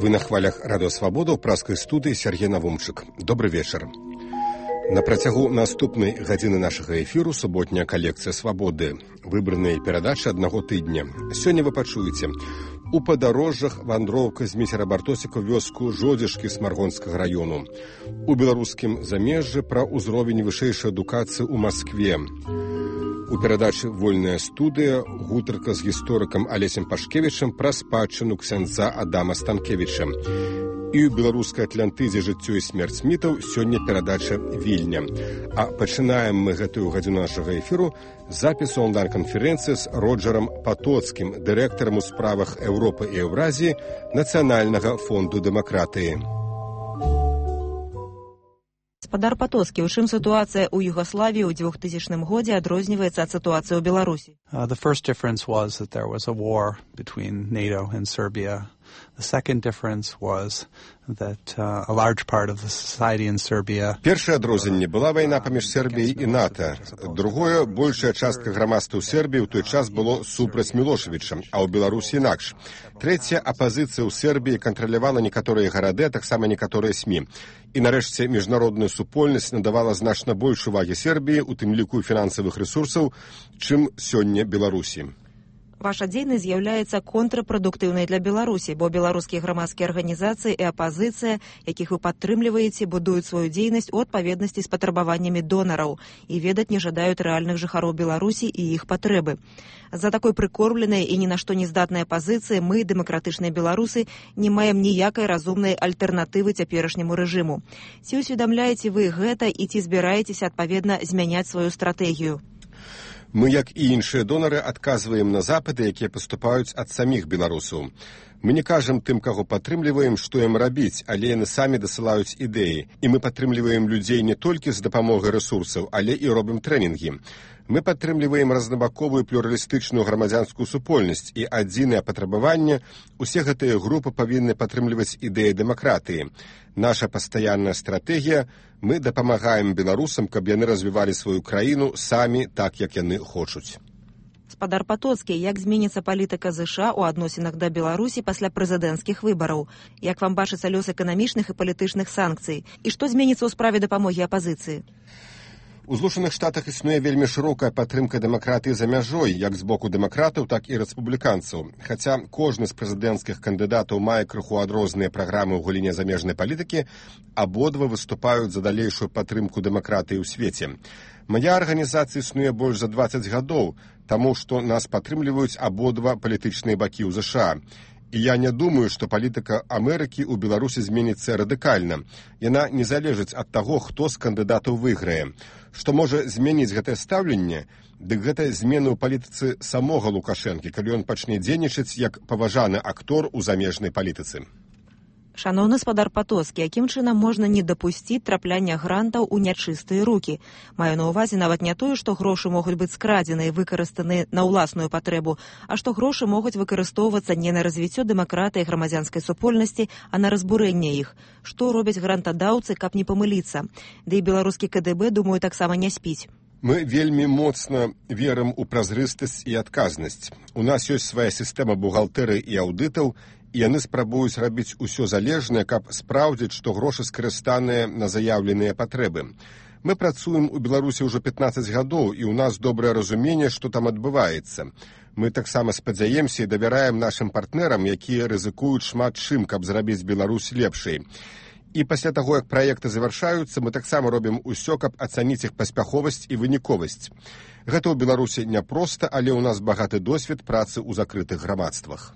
Вы на хвалях Радио Свабода ў праскай студыі Сергей Навумчык. Добры вечар. На працягу наступнай гадзіны нашага эфіру суботняя калекцыя «Свабоды». Выбраныя перадачы аднаго тыдня. Сёння вы пачуеце. У падарожжах вандроўка з міцера Бартосіка ў вёску Жодзішкі Смаргонскага раёну. У беларускім замежжы пра ўзровень вышэйшай адукацыі ў Маскве. У перадачы «Вольная студыя» гутарка з гісторыкам Алесем Пашкевічам пра спадчыну ксяндза Адама Станкевіча. І ў беларускай Атлантызе жыццё і смерць мітаў сёння перадача «Вільня». А пачынаем мы гэтую гадзіну нашага эфіру з запісу онлайн-канферэнцыі з Роджерам Патоцкім, дырэктарам у справах Еўропы і Еўразіі Нацыянальнага фонду дэмакратыі. Гаспадар Патоцкі, у чым сітуацыя ў Югаславіі ў 2000 годзе адрозніваецца ад сітуацыі ў Беларусі? The first difference was that there was a war between NATO and Serbia. The second difference was that a large part of the society in Serbia... Першае адрозненне была вайна паміж Сербіяй і НАТО. Другое, большая частка грамадства ў Сербіі ў той час было супраць Мілошевіча, а ў Беларусі інакш. Трэцяе, апазіцыя ў Сербіі кантралявала некаторыя гарады, а таксама некаторыя СМІ. І нарэшце міжнародная супольнасць надавала значна больш увагі Сербіі, у тым ліку фінансавых рэсурсаў, чым сёння Беларусі. Ваша дзейнасць з'яўляецца контрапрадуктыўнай для Беларусі, бо беларускія грамадскія арганізацыі і апазіцыя, якіх вы падтрымліваеце, будуюць сваю дзейнасць у адпаведнасці з патрабаваннямі донараў і ведаць не жадаюць рэальных жыхароў Беларусі і іх патрэбы. За такой прыкормленай і ні на што не здатнай апазіцыі мы, дэмакратычныя беларусы, не маем ніякай разумнай альтэрнатывы цяперашняму рэжыму. Ці усведамляеце вы гэта і ці збіраецеся адпаведна змяняць сваю стратэгію? Мы, як і іншыя донары, адказваем на запыты, якія паступаюць ад саміх беларусаў. Мы не кажам тым, каго падтрымліваем, што ім рабіць, але яны самі дасылаюць ідэі. І мы падтрымліваем людзей не толькі з дапамогай рэсурсаў, але і робім трэнінгі. Мы падтрымліваем разнабаковую плюралістычную грамадзянскую супольнасць, і адзінае патрабаванне – усе гэтыя групы павінны падтрымліваць ідэі дэмакратыі. Наша пастаянная стратэгія – мы дапамагаем беларусам, каб яны развівалі сваю краіну самі так, як яны хочуць. Гаспадар Патоцкі, як зменіцца палітыка ЗША ў адносінах да Беларусі пасля прэзідэнцкіх выбараў? Як вам бачыцца лёс эканамічных і палітычных санкцый? І што зменіцца ў справе дапамогі апазіцыі? У Злучаных Штатах існуе вельмі шырокая падтрымка дэмакратыі за мяжой, як з боку дэмакратаў, так і рэспубліканцаў. Хаця кожны з прэзідэнцкіх кандыдатаў мае крыху адрозныя праграмы ў галіне замежнай палітыкі, абодва выступаюць за далейшую падтрымку дэмакратыі ў свеце. Мая арганізацыя існуе больш за 20 гадоў, таму што нас падтрымліваюць абодва палітычныя бакі ў ЗША. І я не думаю, што палітыка Амерыкі ў Беларусі зменіцца радыкальна. Яна не залежыць ад таго, хто з кандыдатаў выйграе. Што можа змяніць гэтае стаўленне, дык гэта змены ў палітыцы самога Лукашэнкі, калі ён пачне дзейнічаць як паважаны актор у замежнай палітыцы. Шаноўны гаспадар Патоцкі, якім чынам можна не дапусціць трапляння грантаў у нячыстыя рукі? Маю на ўвазе нават не тое, што грошы могуць быць скрадзены і выкарыстаны на ўласную патрэбу, а што грошы могуць выкарыстоўвацца не на развіццё дэмакратыі і грамадзянскай супольнасці, а на разбурэнне іх. Што робяць грантадаўцы, каб не памыліцца? Ды і беларускі КДБ, думаю, таксама не спіць. Мы вельмі моцна верым у празрыстасць і адказнасць. У нас ёсць свая сістэма бухгалтэрыі і аўдытаў, і яны спрабуюць рабіць усё залежнае, каб спраўдзіць, што грошы скарыстаныя на заяўленыя патрэбы. Мы працуем у Беларусі ўжо 15 гадоў, і ў нас добрае разуменне, што там адбываецца. Мы таксама спадзяемся і давяраем нашым партнерам, якія рызыкуюць шмат чым, каб зрабіць Беларусь лепшай. І пасля таго, як праекты завяршаюцца, мы таксама робім усё, каб ацаніць іх паспяховасць і выніковасць. Гэта ў Беларусі няпроста, але ў нас багаты досвед працы ў закрытых грамадствах.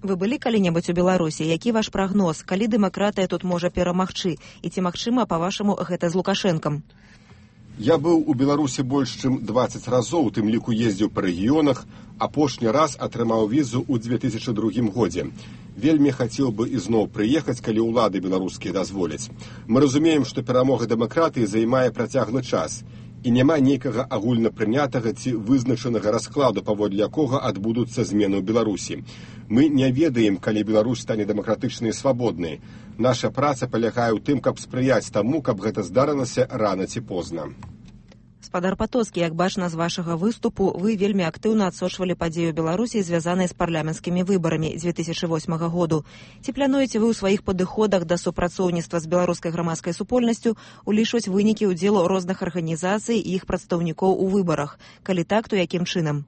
Вы былі калі-небудзь у Беларусі? Які ваш прагноз? Калі дэмакратыя тут можа перамагчы? І ці магчыма, па-вашаму, гэта з Лукашэнкам? Я быў у Беларусі больш чым 20 разоў, у тым ліку ездзіў па рэгіёнах, апошні раз атрымаў візу ў 2002 годзе. Вельмі хацеў бы ізноў прыехаць, калі ўлады беларускія дазволяць. Мы разумеем, што перамога дэмакратыі займае працяглы час. І няма нейкага агульнапрынятага ці вызначанага раскладу, паводле якога адбудуцца змены ў Беларусі. Мы не ведаем, калі Беларусь стане дэмакратычнай і свабоднай. Наша праца палягае ў тым, каб спрыяць таму, каб гэта здарылася рана ці позна. Спадар Патоцкі, як бачна з вашага выступу, вы вельмі актыўна адсочвалі падзею Беларусі, звязаныя з парламенцкімі выбарамі 2008 году. Ці плануеце вы ў сваіх падыходах да супрацоўніцтва з беларускай грамадскай супольнасцю улічваць вынікі ўдзелу розных арганізацый і іх прадстаўнікоў у выбарах? Калі так, то якім чынам?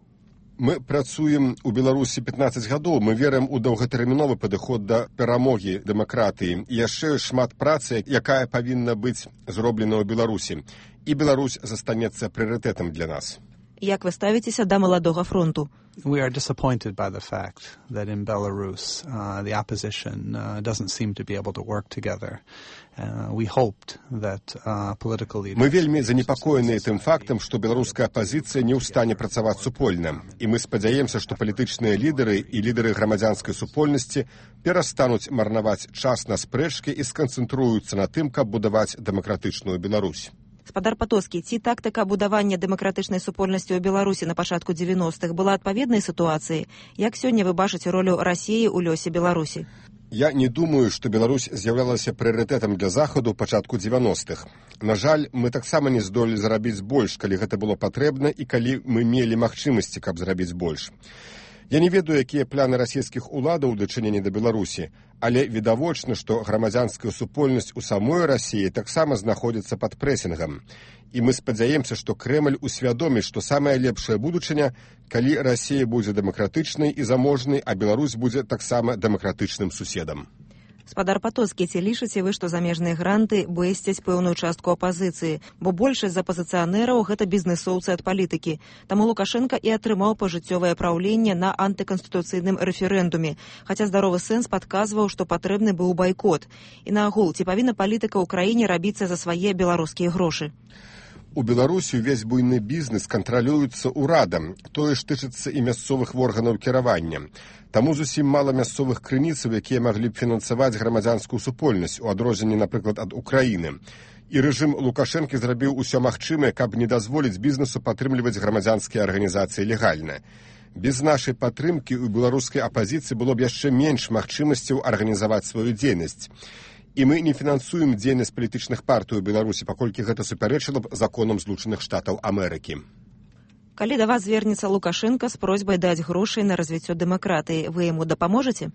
Мы працуем у Беларусі 15 гадоў, мы верым у доўгатэрміновы падыход да перамогі дэмакратыі. І яшчэ шмат працы, якая павінна быць зроблена ў Беларусі. І Беларусь застанецца прыярытэтам для нас. Як вы ставіцеся да маладога фронту? We are disappointed by the fact that in Belarus the opposition doesn't seem to be able to work together. We hoped that political leaders... Мы вельмі занепакоеныя тым фактам, што беларуская апазіцыя не ў стане працаваць супольна. І мы спадзяемся, што палітычныя лідары і лідары грамадзянскай супольнасці перастануць марнаваць час на спрэчкі і сканцэнтруюцца на тым, каб будаваць дэмакратычную Беларусь. Спадар Патоцкі, ці тактыка будавання дэмакратычнай супольнасці ў Беларусі на пачатку 90-х была адпаведнай сітуацыі? Як сёння вы бачыце ролю Расіі ў лёсе Беларусі? Я не думаю, што Беларусь з'яўлялася прыярытэтам для Захаду ў пачатку 90-х. На жаль, мы таксама не здолелі зарабіць больш, калі гэта было патрэбна і калі мы мелі магчымасці, каб зрабіць больш. Я не ведаю, якія планы расійскіх уладаў у дачыненні да Беларусі, але відавочна, што грамадзянская супольнасць у самой Расіі таксама знаходзіцца пад прэсінгам. І мы спадзяемся, што Крэмль усвядоміць, што самая лепшая будучыня, калі Расія будзе дэмакратычнай і заможнай, а Беларусь будзе таксама дэмакратычным суседам. Спадар Патоцкі, ці лічыце вы, што замежныя гранты бэсцяць пэўную частку апазіцыі, бо большасць з апазіцыянераў гэта бізнэсоўцы ад палітыкі. Таму Лукашенка і атрымаў пажыццёвае праўленне на антыканстытуцыйным рэферэндуме, хаця здаровы сэнс падказваў, што патрэбны быў байкот. І наогул, ці павінна палітыка ў краіне рабіцца за свае беларускія грошы? У Беларусі ўвесь буйны бізнес кантралюецца ўрадам, тое ж тычыцца і мясцовых органаў кіравання. Таму зусім мала мясцовых крыніцаў, якія маглі б фінансаваць грамадзянскую супольнасць, у адрозненні, напрыклад, ад Украіны. І рэжым Лукашэнкі зрабіў усё магчымае, каб не дазволіць бізнесу падтрымліваць грамадзянскія арганізацыі легальна. Без нашай падтрымкі ў беларускай апазіцыі было б яшчэ менш магчымасцяў арганізаваць сваю дзейнасць. І мы не фінансуем дзейнасць палітычных партый у Беларусі, паколькі гэта супярэчыла б законам Злучаных Штатаў Амерыкі. Калі да вас звернецца Лукашенка з просьбай даць грошай на развіццё дэмакратыі, вы яму дапаможаце?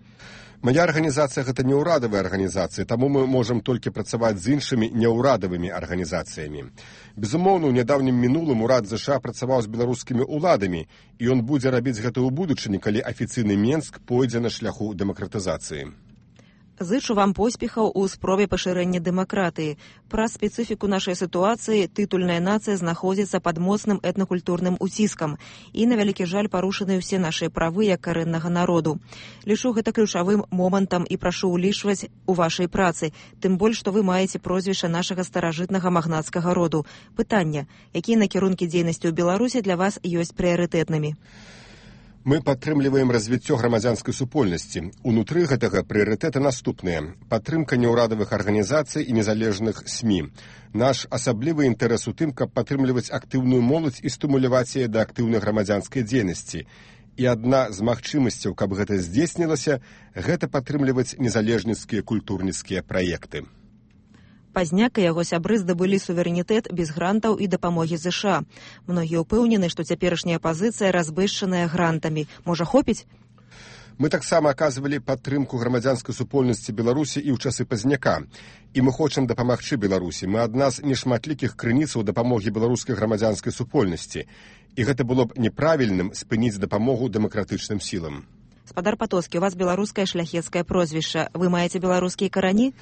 Мая арганізацыя гэта не ўрадавая арганізацыя, таму мы можам толькі працаваць з іншымі неўрадавымі арганізацыямі. Безумоўна, у нядаўнім мінулым урад ЗША працаваў з беларускімі ўладамі, і ён будзе рабіць гэта ў будучыні, калі афіцыйны Менск пойдзе на шляху дэмакратызацыі. Зычу вам поспехаў у спробе пашырэння дэмакратыі. Праз спецыфіку нашай сітуацыі тытульная нацыя знаходзіцца пад моцным этнакультурным уціскам і, на вялікі жаль, парушаны ўсе нашыя правы як карэннага народу. Лічу гэта ключавым момантам і прашу ўлічваць у вашай працы, тым больш, што вы маеце прозвішча нашага старажытнага магнацкага роду. Пытанне, якія накірункі дзейнасці ў Беларусі для вас ёсць прыярытэтнымі? Мы падтрымліваем развіццё грамадзянскай супольнасці. Унутры гэтага прыярытэты наступныя. Падтрымка неўрадавых арганізацый і незалежных СМІ. Наш асаблівы інтарэс у тым, каб падтрымліваць актыўную моладзь і стымуляваць яе да актыўнай грамадзянскай дзейнасці. І адна з магчымасцяў, каб гэта здзейснілася, гэта падтрымліваць незалежніцкія культурніцкія праекты. Пазняк і яго сябры здабылі суверэнітэт без грантаў і дапамогі ЗША. Многія ўпэўнены, што цяперашняя апазіцыя разбэшчаная грантамі. Можа, хопіць? Мы таксама аказвалі падтрымку грамадзянскай супольнасці Беларусі і ў часы Пазняка. І мы хочам дапамагчы Беларусі. Мы адна з нешматлікіх крыніцаў дапамогі беларускай грамадзянскай супольнасці. І гэта было б неправільным спыніць дапамогу дэмакратычным сілам. Спадар Патоцкі, у вас беларускае шляхецкае прозвішча. Вы маеце беларускія карані?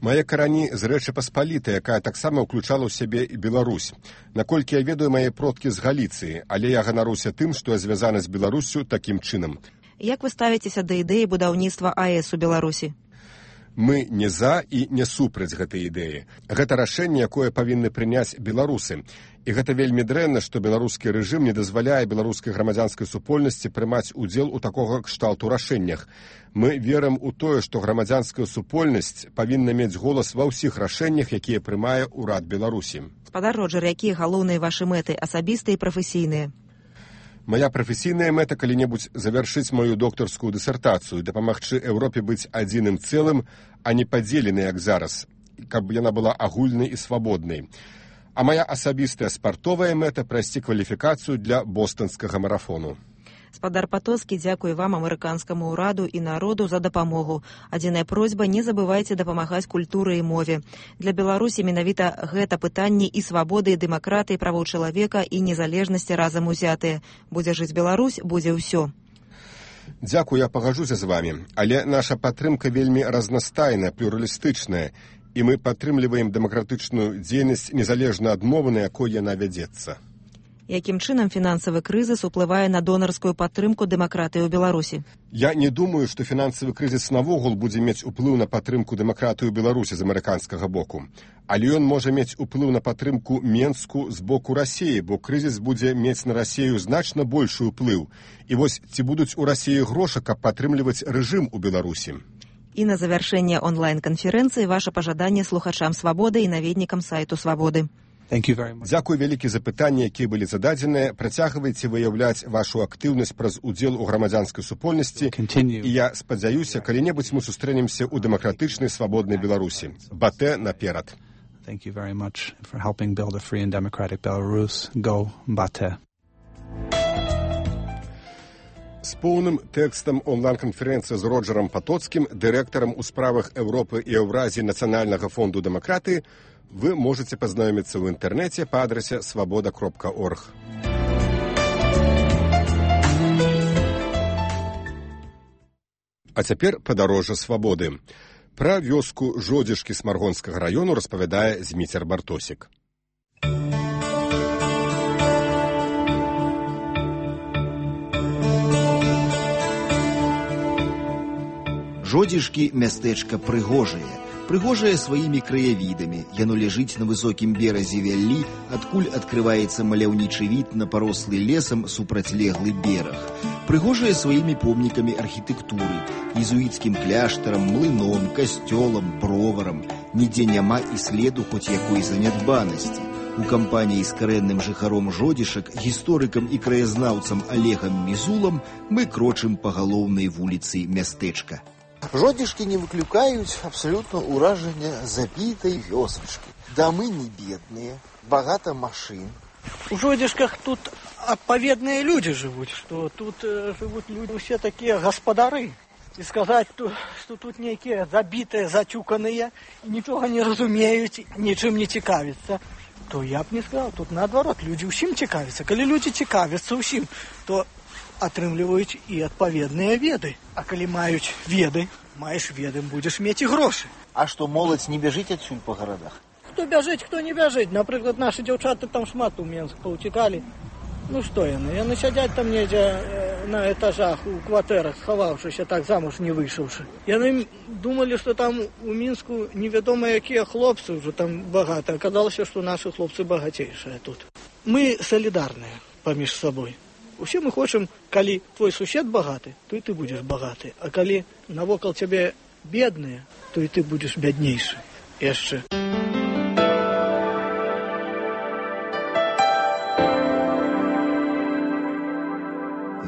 Мае карані з Рэчы Паспалітай, якая таксама ўключала ў сябе і Беларусь. Наколькі я ведаю, мае продкі з Галіцыі, але я ганаруся тым, што я звязаны з Беларуссю такім чынам. Як вы ставіцеся да ідэі будаўніцтва АЭС у Беларусі? Мы не за і не супраць гэтай ідэі. Гэта рашэнне, якое павінны прыняць беларусы. І гэта вельмі дрэнна, што беларускі рэжым не дазваляе беларускай грамадзянскай супольнасці прымаць удзел у такога кшталту рашэннях. Мы верым у тое, што грамадзянская супольнасць павінна мець голас ва ўсіх рашэннях, якія прымае ўрад Беларусі. Спадар Роджер, якія галоўныя вашы мэты, асабістыя і прафесійныя? Мая прафесійная мэта калі-небудзь завяршыць маю доктарскую дысертацыю, дапамагчы Еўропе быць адзіным цэлым, а не падзеленай, як зараз, каб яна была агульнай і свабоднай. А моя асабістая спартовая мэта прайсці кваліфікацыю для бостанскага марафону. Спадар Патоцкі, дзякуй вам, амерыканскаму ўраду і народу за дапамогу. Адзіная просьба, не забывайце дапамагаць культуры і мове. Для Беларусі менавіта гэта пытанні і свабоды, і дэмакратыі, правоў чалавека і незалежнасці разам узятыя. Будзе жыць Беларусь, будзе ўсё. Дзякуй, я пагаджуся з вамі, але наша падтрымка вельмі разнастайная, плюралістычная, і мы падтрымліваем дэмакратычную дзейнасць незалежна ад мовы, на якой яна вядзецца. Якім чынам фінансавы крызіс уплывае на донарскую падтрымку дэмакратыі ў Беларусі? Я не думаю, што фінансавы крызіс навогул будзе мець уплыў на падтрымку дэмакратыі ў Беларусі з амерыканскага боку. Але ён можа мець уплыў на падтрымку Менску з боку Расіі, бо крызіс будзе мець на Расію значна большы ўплыў. І вось ці будуць у Расіі грошы, каб падтрымліваць рэжым у Беларусі? І на завяршэнне онлайн-канферэнцыі ваша пажаданне слухачам «Свабоды» і наведнікам сайту «Свабоды». Дзякуй вялікі за пытанні, якія былі зададзеныя. Працягвайце выяўляць вашу актыўнасць праз удзел у грамадзянскай супольнасці. І я спадзяюся, калі-небудзь мы сустрэнемся ў дэмакратычнай свабоднай Беларусі. Батэ наперад. Thank you very much for helping build a free and democratic Belarus. Go Bate. З поўным тэкстам онлайн-канферэнцыі з Роджерам Патоцкім, дырэктарам у справах Еўропы і Еўразіі Нацыянальнага фонду дэмакратыі, вы можете познаёмиться в интернете по адресе svoboda.org. А цяпер падарожжа свабоды. Пра вёску Жодзішкі Смаргонскага раёну распавядае Зміцер Бартосік. Жодзішкі мястэчка прыгожае. Прыгожае сваімі краявідамі. Яно ляжыць на высокім беразе вяллі, адкуль адкрываецца маляўнічы від на парослы лесам супрацьлеглы бераг. Прыгожае сваімі помнікамі архітэктуры, езуіцкім кляштарам, млыном, касцёлам, броварам. Нідзе няма і следу хоць якой занядбанасці. У кампаніі з карэнным жыхаром Жодзішак, гісторыкам і краязнаўцам Олегам Мізулам мы крочым па галоўнай вуліцы мястэчка. Жодзішкі не выклікаюць абсалютна ўражання забітай вёсачкі. Дамы не бедныя, багата машын. У Жодзішках тут адпаведныя людзі жывуць, што тут жывуць людзі ўсе такія гаспадары. І сказаць, што тут нейкія забітыя, зацюканыя, нічога не разумеюць, нічым не цікавяцца, то я б не сказаў. Тут наадварот, людзі ўсім цікавяцца. Калі людзі цікавяцца ўсім, то атрымліваюць і адпаведныя веды. А калі маюць веды, маеш веды, будзеш мець і грошы. А што, моладзь не бяжыць адсюль па гарадах? Хто бяжыць, хто не бяжыць. Напрыклад, нашы дзяўчаты там шмат у Менск паўцікалі. Ну што яны? Яны сядзяць там недзе на этажах, у кватэрах, схаваўшыся так замуж не выйшаўшы. Яны думалі, што там у Мінску невядома якія хлопцы ўжо там багата. Аказалася, што нашы хлопцы багацейшыя тут. Мы салідарныя паміж сабой. Усе мы хочам, калі твой сусед багаты, то і ты будзеш багаты. А калі навокал цябе бедныя, то і ты будзеш бяднейшы. Яшчэ.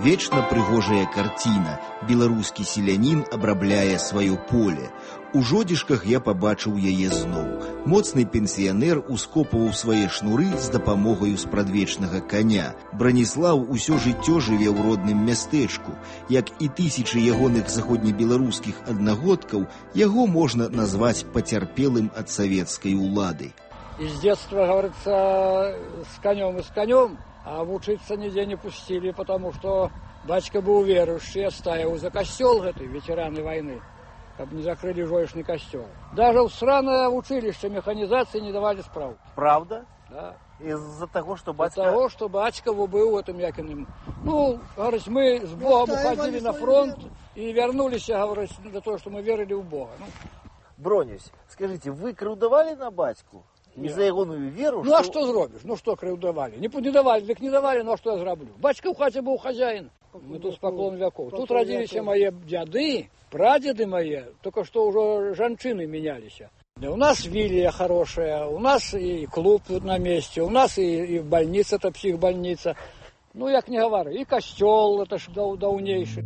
Вечна прыгожая карціна. Беларускі селянін абрабляе сваё поле. У Жодзішках я пабачыў яе зноў. Моцны пенсіянер ускопваў свае шнуры з дапамогаю спрадвечнага каня. Браніслаў усё жыццё жыве ў родным мястэчку. Як і тысячы ягоных заходнебеларускіх аднагодкаў, яго можна назваць пацярпелым ад савецкай улады. Из детства, говорится, с конем, а учиться нигде не пустили, потому что батька был верующий, отстаивал за костел этой ветераны войны, чтобы не закрыли Жодзішны костел. Даже в сраное училище механизации не давали справки. Правда? Да. Из-за того, что батька... Из-за того, что батька был этим якиным. Ну, говорит, мы с Богом уходили на фронт и вернулись, говорит, для того, что мы верили в Бога. Ну. Бронюсь, скажите, вы крыўдавалі на батьку? І за ягоную веру... Ну, а что зробишь? Ну, что крыўдавалі? Не давали, так не давали, ну, а что я зроблю? Батька в хате был хозяин. Мы тут с поклон веков. Тут родились мои дяды, прадеды мои, только что уже жанчины менялись. Да, у нас вилья хорошая, у нас и клуб тут на месте, у нас и больница, это психбольница. Ну, як не говорю, и костел, это ж даўнейший.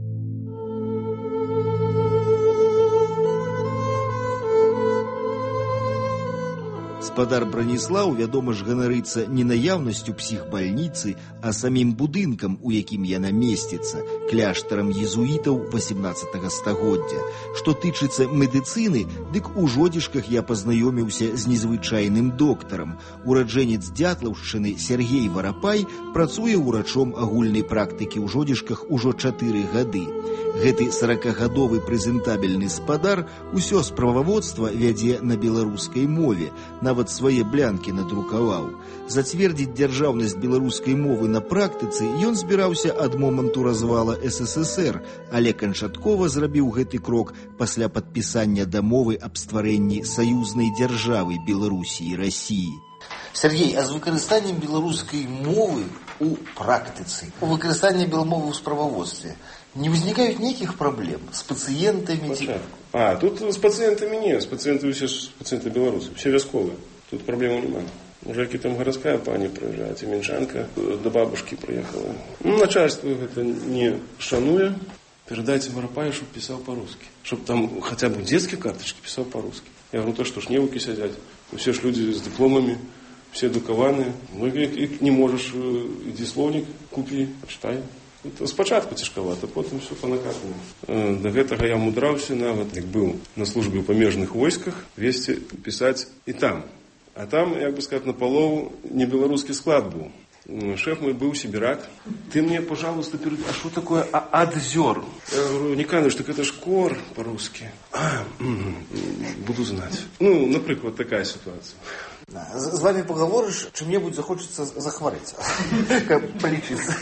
Спадар Браніслаў, вядома ж, ганарыцца не наяўнасцю псіхбальніцы, а самім будынкам, у якім яна месціцца, кляштарам езуітаў 18 стагоддзя. Што тычыцца медыцыны, дык у Жодзішках я пазнаёміўся з незвычайным доктарам. Ураджэнец Дятлаўшчыны Сергей Варапай працуе ўрачом агульнай практыкі ў Жодзішках ужо 4 гады. Гэты 40-гадовы прэзентабельны спадар усё справаводства вядзе на беларускай мове, нават свае блянкі надрукаваў. Зацвердзіць дзяржаўнасць беларускай мовы на практыцы ён збіраўся ад моманту развала СССР, але канчаткова зрабіў гэты крок пасля падпісання дамовы аб стварэнні саюзнай дзяржавы Беларусі і Расіі. Сергей, а з выкарыстаннем беларускай мовы у практыцы, у выкарыстанні беламовы ў справаводстве не ўзнікаюць нейкіх праблем з пацыентамі? Тут з пацыентамі не, з пацыентамі усе ж пацыенты беларусы, все вясковыя, тут праблемаў няма. Уже які там гарадская пані прыязджае, ці мінчанка да бабушкі прыехала. Начальство гэта не шануе. Передайте Варапаю, чтобы писал по-русски. Чтобы там хотя бы детские карточки писал по-русски. Я говорю, то что ж невуки сидят. Все ж люди с дипломами, все адукаваныя. Ну и не можешь, иди словник купи, почитай. Это спочатку цяжкавата, потом все по-накатаному. До гэтага я мудраўся нават, як быў на службе ў памежных войсках, весці пісаць і там. А там, як бы сказать, напалову не беларускі склад быў. Шеф мой был сибирак. Ты мне, пожалуйста, перед... А что такое адзер? Я говорю, Никаныч, так это ж кор по-русски. Буду знать. Ну, например, такая ситуация. З вами поговоришь, чым-небудзь захочется захварэць. Полечиться.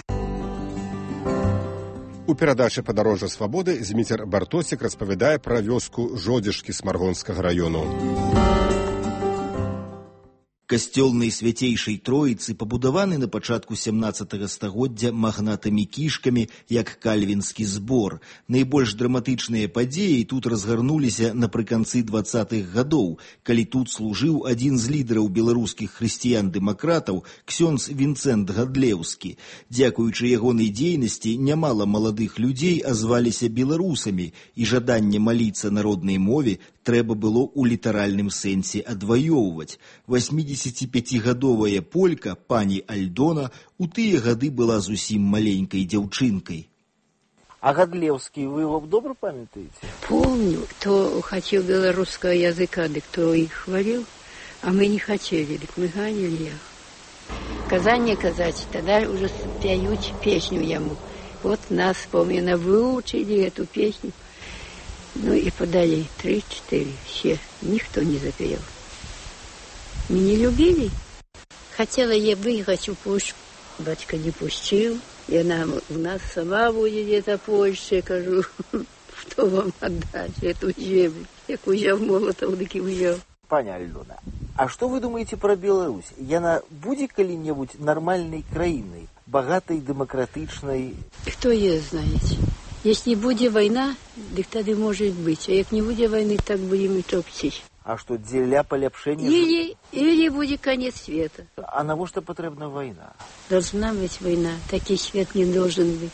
У перадачы «Падарожжа свабоды» Зміцер Бартосік распавядае пра вёску Жодзішкі Смаргонскага раёну. Касцёлнай свяцейшай Троіцы пабудаваны на пачатку 17 стагоддзя магнатамі-кішкамі, як кальвінскі збор. Найбольш драматычныя падзеі тут разгарнуліся напрыканцы 20-х гадоў, калі тут служыў адзін з лідараў беларускіх хрысціян-дэмакратаў, ксёндз Вінцэнт Гадлеўскі. Дзякуючы ягонай дзейнасці нямала маладых людзей азваліся беларусамі, і жаданне маліцца на роднай мове трэба было ў літаральным сэнсе адваёўваць. 85-гадовая полька, пані Альдона, у тыя гады была зусім маленькай дзяўчынкай. А Гадлеўскі вы его добра памятаете? Помню, кто хотел белорусского языка, да кто их хвалил, а мы не хотели, так мы ганили их. Казань казать, тогда уже пьют песню ему. Вот нас, помню, выучили эту песню. Ну и подали 3-4, все, никто не запел. Мы не любили. Хотела я выехать в Польшу, батька не пустил, и она у нас сама будет где-то в Польше, кажу, что вам отдать эту землю. Як узял Молотов, так и взял. Паня Альдона, а что вы думаете про Беларусь? Яна будет коли-нибудь нормальной краиной, богатой, демократичной? Кто ее знает? Если будет война, так тогда может быть. А як не будет войны, так будем и топчить. А что, для полепшения? Или будет конец света. А на что потребна война? Должна быть война. Такой свет не должен быть.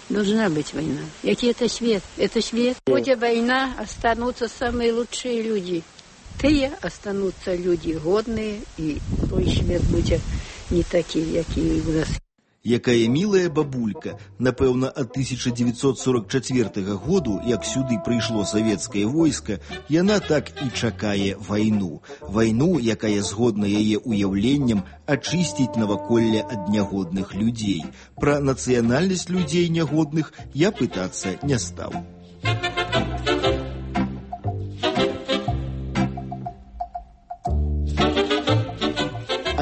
Должна быть война. Який это свет? Это свет. Будет война, останутся самые лучшие люди. Тыя останутся люди годные, и той свет будет не такие, який у нас. Якая мілая бабулька, напэўна, ад 1944 году, як сюды прыйшло савецкае войска, яна так і чакае вайну. Вайну, якая, згодна яе уяўленням, ачысціць наваколле ад нягодных людзей. Пра нацыянальнасць людзей нягодных я пытацца не стаў.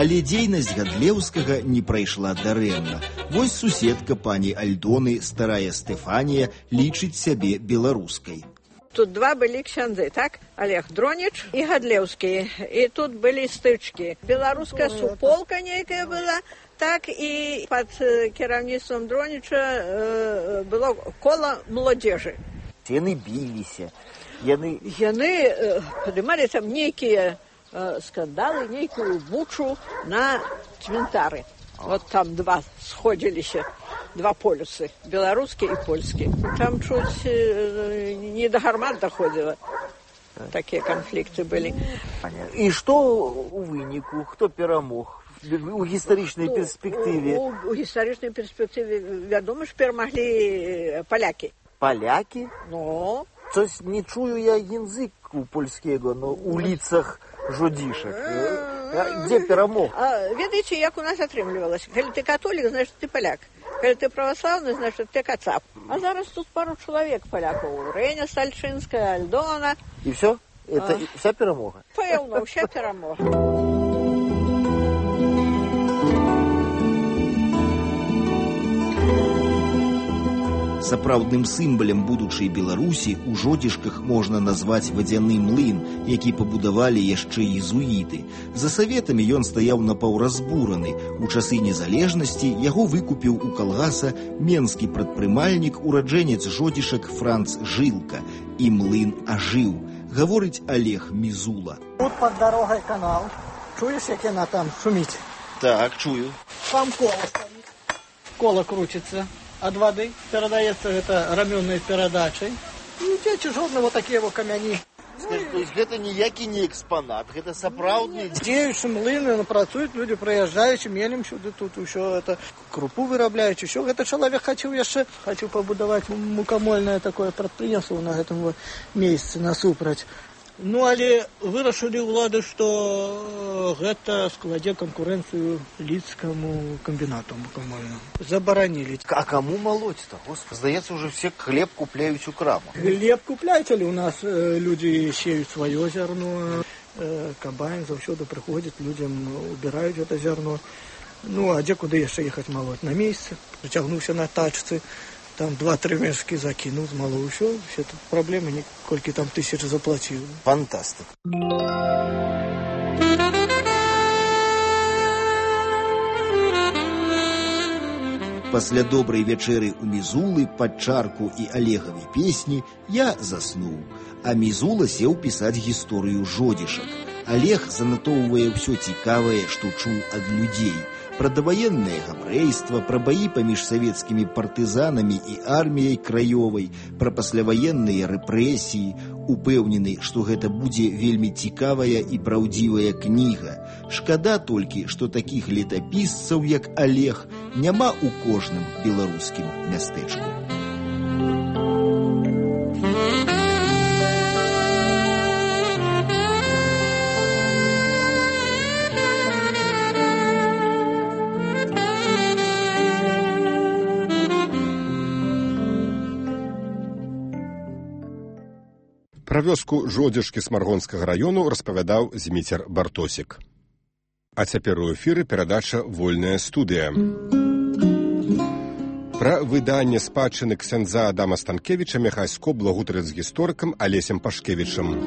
Але дзейнасць Гадлеўскага не прайшла дарэмна. Вось суседка пані Альдоны, старая Стэфанія, лічыць сябе беларускай. Тут два были ксяндзы, так? Олег Дронич и Гадлеўскі. И тут были стычки. Белорусская суполка некая была, так и под кіраўніцтвам Дронича было коло молодежи. Яны бились, яны поднимали там некие скандалы, некую бучу на цвинтары. Вот там два сходились, два полюсы, белорусский и польский. Там чуть не до гармат доходило. такія канфлікты былі. І што у выніку? Хто перамог? У гістарычнай перспектыве? У гістарычнай перспектыве, вядома ж, перамаглі палякі. Палякі? Ну... Coś nie czuję ja języku polskiego, no, u ulicach Żodziszek. Gdzie перемог? Ведаеце, як у нас атрымлівалася? Калі ты католік, значит, ты паляк. Калі ты православны, значит, ты кацап. А зараз тут пару чалавек палякаў. Рэня Стальчынская, Альдона. И все? Это вся перемога? Пэўна, вся перемога. Сапраўдным сімвалам будучай Беларусі у Жодзішках можна назваць вадзяны млын, які пабудавалі яшчэ езуіты. За саветамі ён стаяў напаўразбураны. У часы незалежнасці яго выкупіў у калгаса менскі прадпрымальнік, ураджэнец Жодзішак Франц Жылка. І млын ажыў, гаворыць Олег Мізула. Тут пад дарогай канал. Чуеш, як яна там шуміць? Так, чую. Там кола стаіць. Кола крутится от воды, передается это раменной передачей. И дзеці жодного такие вот камяні. То есть гэта ніякі не экспонат, гэта сапраўдны... Дзеючы млыны, працуюць люди, прыязджаюць, мелем сюды, тут ўсё это крупу вырабляюць, усё. Гэта чалавек хацеў пабудаваць мукамольнае такое прадпрыемства на гэтым вот месцы насупраць. Ну, але вырашылі ўлады, што гэта складзе канкурэнцыю лідскаму камбінату мукамольнаму. Забаранілі. А каму молоть-то? Господи, здаецца, уже все хлеб купляюць у крамах. Хлеб купляюць, але у нас людзі сеюць сваё зярно. Камбайн заўсёды прыходзіць, людзям убіраюць гэта зярно. Ну, а дзе куды яшчэ ехаць малоть? На месцы. Зацягнуўся на тачцы. Там 2-3 мешки закинул, змалоў, все тут проблемы, николькі там тысяч заплатил. Фантастик. Пасля добрай вячэры у Мізулы пад чарку і Олегавай песні я заснуў, а Мізула сеў пісаць гісторыю Жодзішак. Олег занатоўвае ўсё цікавае, што чуў ад людзей. Пра даваеннае габрэйства, пра баі паміж савецкімі партызанамі і арміяй краёвай, пра пасляваенныя рэпрэсіі, упэўнены, што гэта будзе вельмі цікавая і праўдзівая кніга. Шкада толькі, што такіх летапісцаў, як Олег, няма ў кожным беларускім мястэчку. Пра вёску Жодзішкі Смаргонскага раёну распавядаў Зміцер Бартосік. А цяпер у эфіры перадача «Вольная студыя». Пра выданне спадчыны ксяндза Адама Станкевіча Міхайско благутарыць з гісторыкам Алесем Пашкевічам.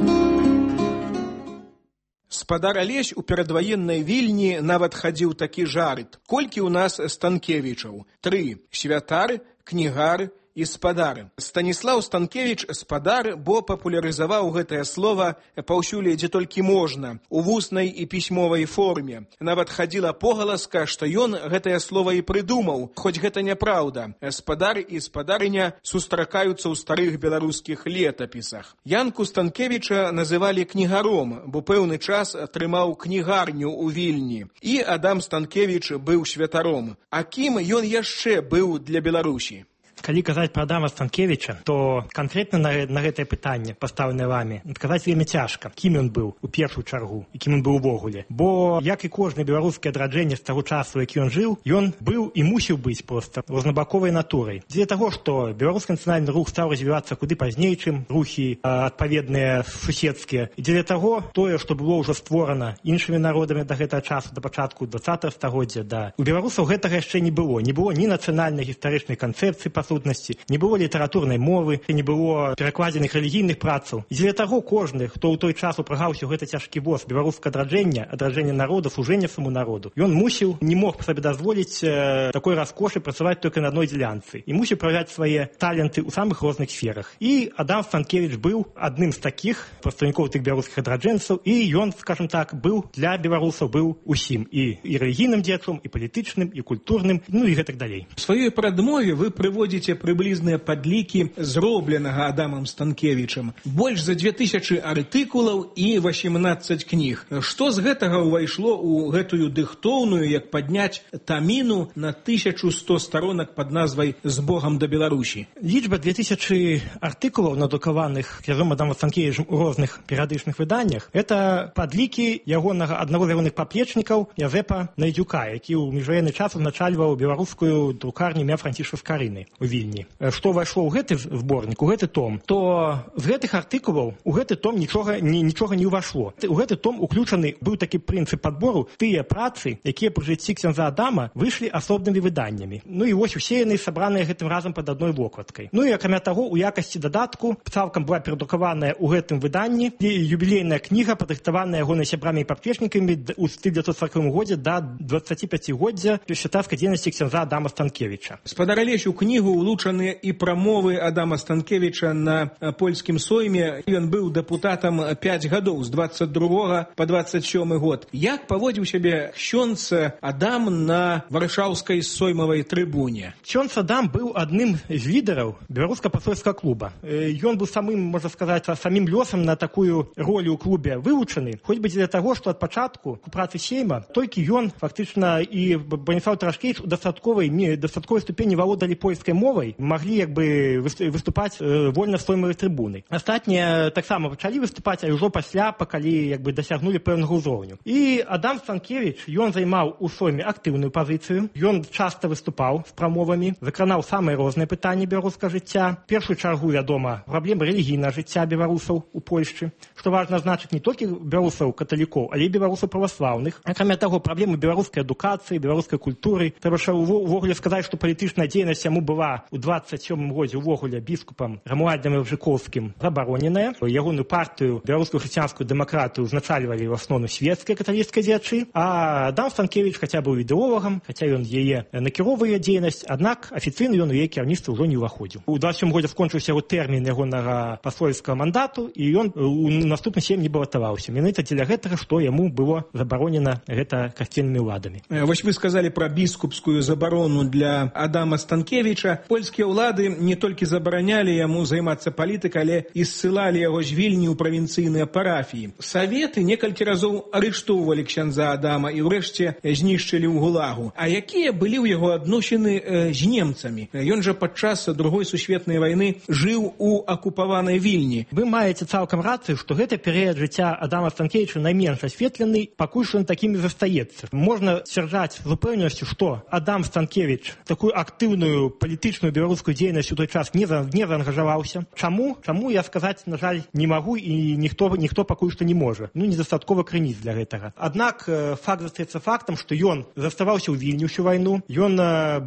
Спадар Алесь у перадваеннай Вільні нават хадзіў такі жарт. Колькі ў нас Станкевічаў? 3. Святар, кнігар і спадар. Станіслаў Станкевіч спадар, бо папулярызаваў гэтае слова паўсюль, дзе толькі можна, у вуснай і пісьмовай форме. Нават хадзіла погаласка, што ён гэтае слова і прыдумаў, хоць гэта няпраўда. Спадар і спадарыня сустракаюцца ў старых беларускіх летапісах. Янку Станкевіча называлі кнігаром, бо пэўны час атрымаў кнігарню ў Вільні. І Адам Станкевіч быў святаром. А кім ён яшчэ быў для Беларусі? Калі казаць пра Адама Станкевіча, то канкрэтна на гэтае пытанне, пастаўленае вамі, адказаць вельмі цяжка, кім ён быў у першую чаргу і кім ён быў увогуле. Бо, як і кожнае беларускае адраджэнне з таго часу, які ён жыў, ён быў і мусіў быць проста рознабаковай натурай. Дзеля таго, што беларускі нацыянальны рух стаў развівацца куды пазней, чым рухі адпаведныя суседскія. І дзеля таго, тое, што было ўжо створана іншымі народамі да гэтага часу, да пачатку 20-го стагоддзя, у беларусаў гэтага яшчэ не было. Не было ні нацыянальнай гістарычнай канцэпцыі, не было літаратурнай мовы, не было перакладзеных рэлігійных працаў. І дзеля таго кожны, хто ў той час упрагаўся ў гэты цяжкі воз беларускага адраджэння народа, служэння саму народу, ён мусіў, не мог сабе дазволіць такой раскошы працаваць толькі на адной дзелянцы. І мусіў праяўляць свае таленты ў самых розных сферах. І Адам Станкевіч быў адным з такіх прадстаўнікоў тых беларускіх адраджэнцаў, і ён, скажем так, быў для беларусаў быў усім. І рэлігійным дзеячом, і палітычным, і культурным, ну і гэтак далей. У сваёй прадмове вы прыводзіце прыводзіце прыблізныя падлікі зробленага Адамам Станкевічам. Больш за 2000 артыкулаў і 18 кніг. Што з гэтага ўвайшло ў гэтую дыхтоўную, як падняць таміну на 1100 сторонак пад назвай «З Богам да Беларусі»? Лічба 2000 артыкулаў, надрукаваных князём Адамам Станкевічам у розных перыядычных выданнях, это падлікі ягонага аднаго з ягоных паплечнікаў Язэпа Найдзюка, які ў міжваенны час узначальваў беларускую друкарню імя Францішка Скарыны ў Вільні. Што ўвайшло ў гэты зборнік, у гэты том, то з гэтых артыкулаў у гэты том нічога не ўвайшло. У гэты том уключаны быў такі прынцып падбору, тыя працы, якія пры жыцці ксяндза Адама выйшлі асобнымі выданнямі. Ну і вось усе яны сабраныя гэтым разам пад адной вокладкай. Ну і акрамя таго, у якасці дадатку цалкам была перадрукаваная ў гэтым выданні юбілейная кніга, падрыхтаваная ягонай сябрамі і паплечнікамі ў 1940 годзе да 25-годдзя святарскай дзейнасці ксяндза Адама Станкевіча. Спадар Алесь, у кнігу улучаныя і прамовы Адама Станкевіча на польскім сойме. Ён быў дэпутатам 5 гадоў, з 22 по 27 год. Як паводзіў сябе ксёндз Адам на варшаўскай соймавай трыбуне? Ксёндз Адам быў адным з лідараў беларуска-пасольскага клуба. Ён быў самым, можна сказаць, самім лёсам на такую ролю ў клубе вывучаны, хоць бы дзеля таго, што ад пачатку у працы сейма толькі ён фактычна і Браніслаў Тарашкевіч у дастатковай ступені валодалі польскай мовай, маглі як бы выступаць вольна з соймавай трыбуны. Астатнія таксама пачалі выступаць, а ўжо пасля, калі як бы дасягнулі пэўнага ўзроўню. І Адам Станкевіч, ён займаў у сойме актыўную пазіцыю, ён часта выступаў з прамовамі, закранаў самыя розныя пытанні беларускага жыцця. Першую чаргу, вядома, праблемы рэлігійнага жыцця беларусаў у Польшчы, што важна значыць не толькі беларусаў каталікоў, але і беларусаў праваслаўных. Акрамя таго, праблемы беларускай адукацыі, беларускай культуры. Трэба ж увогуле сказаць, што палітычная дзейнасць яму была ў 27 годзе увогуле біскупам Рамуальдам Ілжыковскім забароненая. Ягоную партыю, беларускую хрысціянскую дэмакратыю, узначальвалі ў асноўным свецкія каталіцкія дзеячы, а Адам Станкевіч хаця быў ідэолагам, хаця ён яе накіроўвае дзейнасць, аднак афіцыйна ён у яе кіраўніцтва ўжо не ўваходзіў. У 27 годзе скончыўся яго тэрмін ягонага пасольскага мандату, і ён у наступны сейм не балатаваўся. Менавіта дзеля гэтага, што яму было забаронена гэта касцельнымі ўладамі. Вось вы сказалі пра біскупскую забарону для Адама Станкевіча. Польскія ўлады не толькі забаранялі яму займацца палітыкай, але і ссылалі яго з Вільні ў правінцыйныя парафіі. Саветы некалькі разоў арыштоўвалі ксяндза Адама і ўрэшце знішчылі ў гулагу. А якія былі ў яго адносіны з немцамі? Ён жа падчас Другой сусветнай вайны жыў у акупаванай Вільні. Вы маеце цалкам рацыю, што гэты перыяд жыцця Адама Станкевіча найменш асветлены, пакуль што ён такім і застаецца. Можна сцвярджаць з упэўненасцю, што Адам Станкевіч такую актыўную палітычную беларускую дзейнасць у той час не заангажаваўся. Чаму? Чаму я сказаць, на жаль, не магу, і ніхто пакуль што не можа. Недастаткова крыніц для гэтага. Аднак факт застаецца фактам, што ён заставаўся ў Вільні ўсю вайну. Ён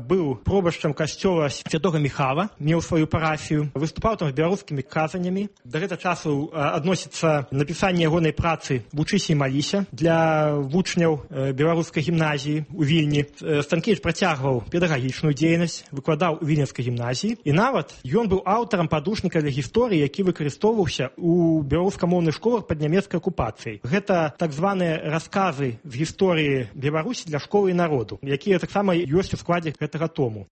быў пробашчам касцёла Святога Міхала, меў сваю парафію, выступаў там з беларускімі казаннямі. Да гэтага часу адносіцца напісанне ягонай працы «Вучыся і маліся» для вучняў беларускай гімназіі ў Вільні. Станкевіч працягваў педагагічную дзейнасць, выкладаў у Вільнянскай гімназіі, і нават ён быў аўтарам падручніка для гісторыі, які выкарыстоўваўся ў беларускамоўных школах пад нямецкай акупацыяй. Гэта так званыя расказы з гісторыі Беларусі для школы і народу, якія таксама ёсць у складзе гэтага тому.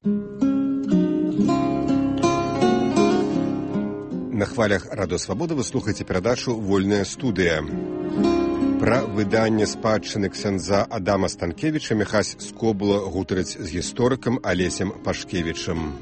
На хвалях Радыё Свабода вы слухаеце перадачу «Вольная студыя». Пра выданне спадчыны ксяндза Адама Станкевіча Міхась Скобула гутарыць з гісторыкам Алесем Пашкевічам.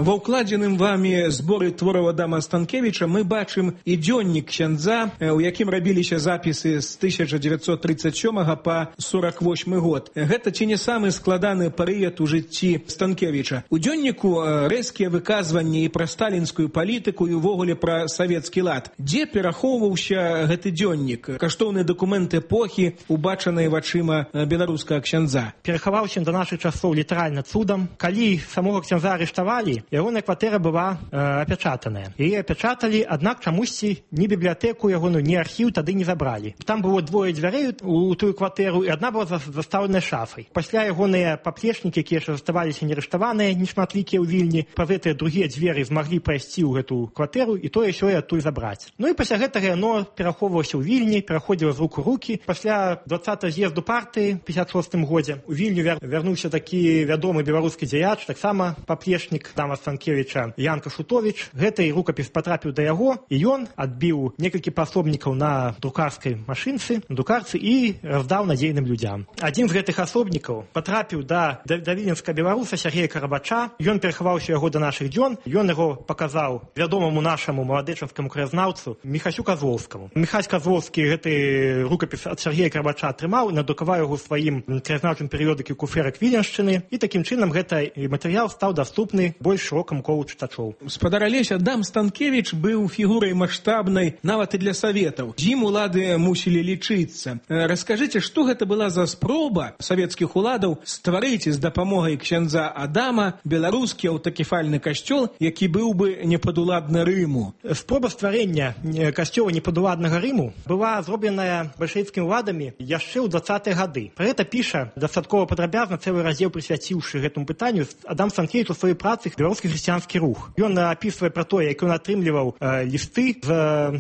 Ва ўкладзеным вамі зборы твораў Адама Станкевіча мы бачым і дзённік ксяндза, у якім рабіліся запісы з 1937 па 48 год. Гэта ці не самы складаны перыяд у жыцці Станкевіча. У дзённіку рэзкія выказванні і пра сталінскую палітыку, і ўвогуле пра савецкі лад. Дзе перахоўваўся гэты дзённік? Каштоўны дакумент эпохі, убачанай вачыма беларускага ксяндза. Перахаваўся да нашых часоў літаральна цудам. Калі самога ксяндза арыштавалі, ягоная кватэра была апячатаная. Яе апячаталі, аднак чамусьці ні бібліятэку ягоную, ні архіў тады не забралі. Там было двое дзвярэй у тую кватэру, і адна была застаўленая шафай. Пасля ягоныя паплечнікі, якія яшчэ заставаліся нерыштаваныя, нешматлікія ў Вільні, праз гэтыя другія дзверы змаглі прайсці ў гэту кватэру і тое сёе адтуль забраць. Ну і пасля гэтага яно перахоўвалася ў Вільні, пераходзіла з рук у рукі. Пасля 20-го з'езду партыі ў 56-м годзе у Вільню вярнуўся такі вядомы беларускі дзеяч, таксама паплечнік Адама Станкевіча Ян Кашутовіч. Гэты рукапіс патрапіў да яго, і ён адбіў некалькі пасобнікаў на друкарскай машынцы, на друкарцы і раздаў надзейным людзям. Адзін з гэтых асобнікаў патрапіў да віленскага беларуса Сергея Карабача. Ён перахаваўся яго да нашых дзён. Ён яго паказаў вядомаму нашаму маладэчанскаму краязнаўцу Міхасю Казлоўскаму. Міхась Казлоўскі гэты рукапіс ад Сергея Карабача атрымаў, надрукаваў яго ў сваім краязнаўчым перыёдыкі «Куферак Віленшчыны», і такім чынам гэты матэрыял стаў даступны больш шырокаму колу чытачоў. Спадар Алесь, Адам Станкевіч быў фігурай маштабнай нават і для саветаў. З ім улады мусілі лічыцца. Раскажыце, што гэта была за спроба савецкіх уладаў стварыць з дапамогай ксяндза Адама беларускі аўтакефальны касцёл, які быў бы непадуладны Рыму. Спроба стварэння касцёла непадуладнага Рыму была зробленая бальшавіцкімі уладамі яшчэ ў 20-е гады. Пра гэта піша дастаткова падрабязна, цэлы раздзел прысвяціўшы гэтаму пытанню Адам Станкевіч у сваёй працы «Беларускі хрысціянскі рух». Ён апісвае пра тое, як ён атрымліваў лісты з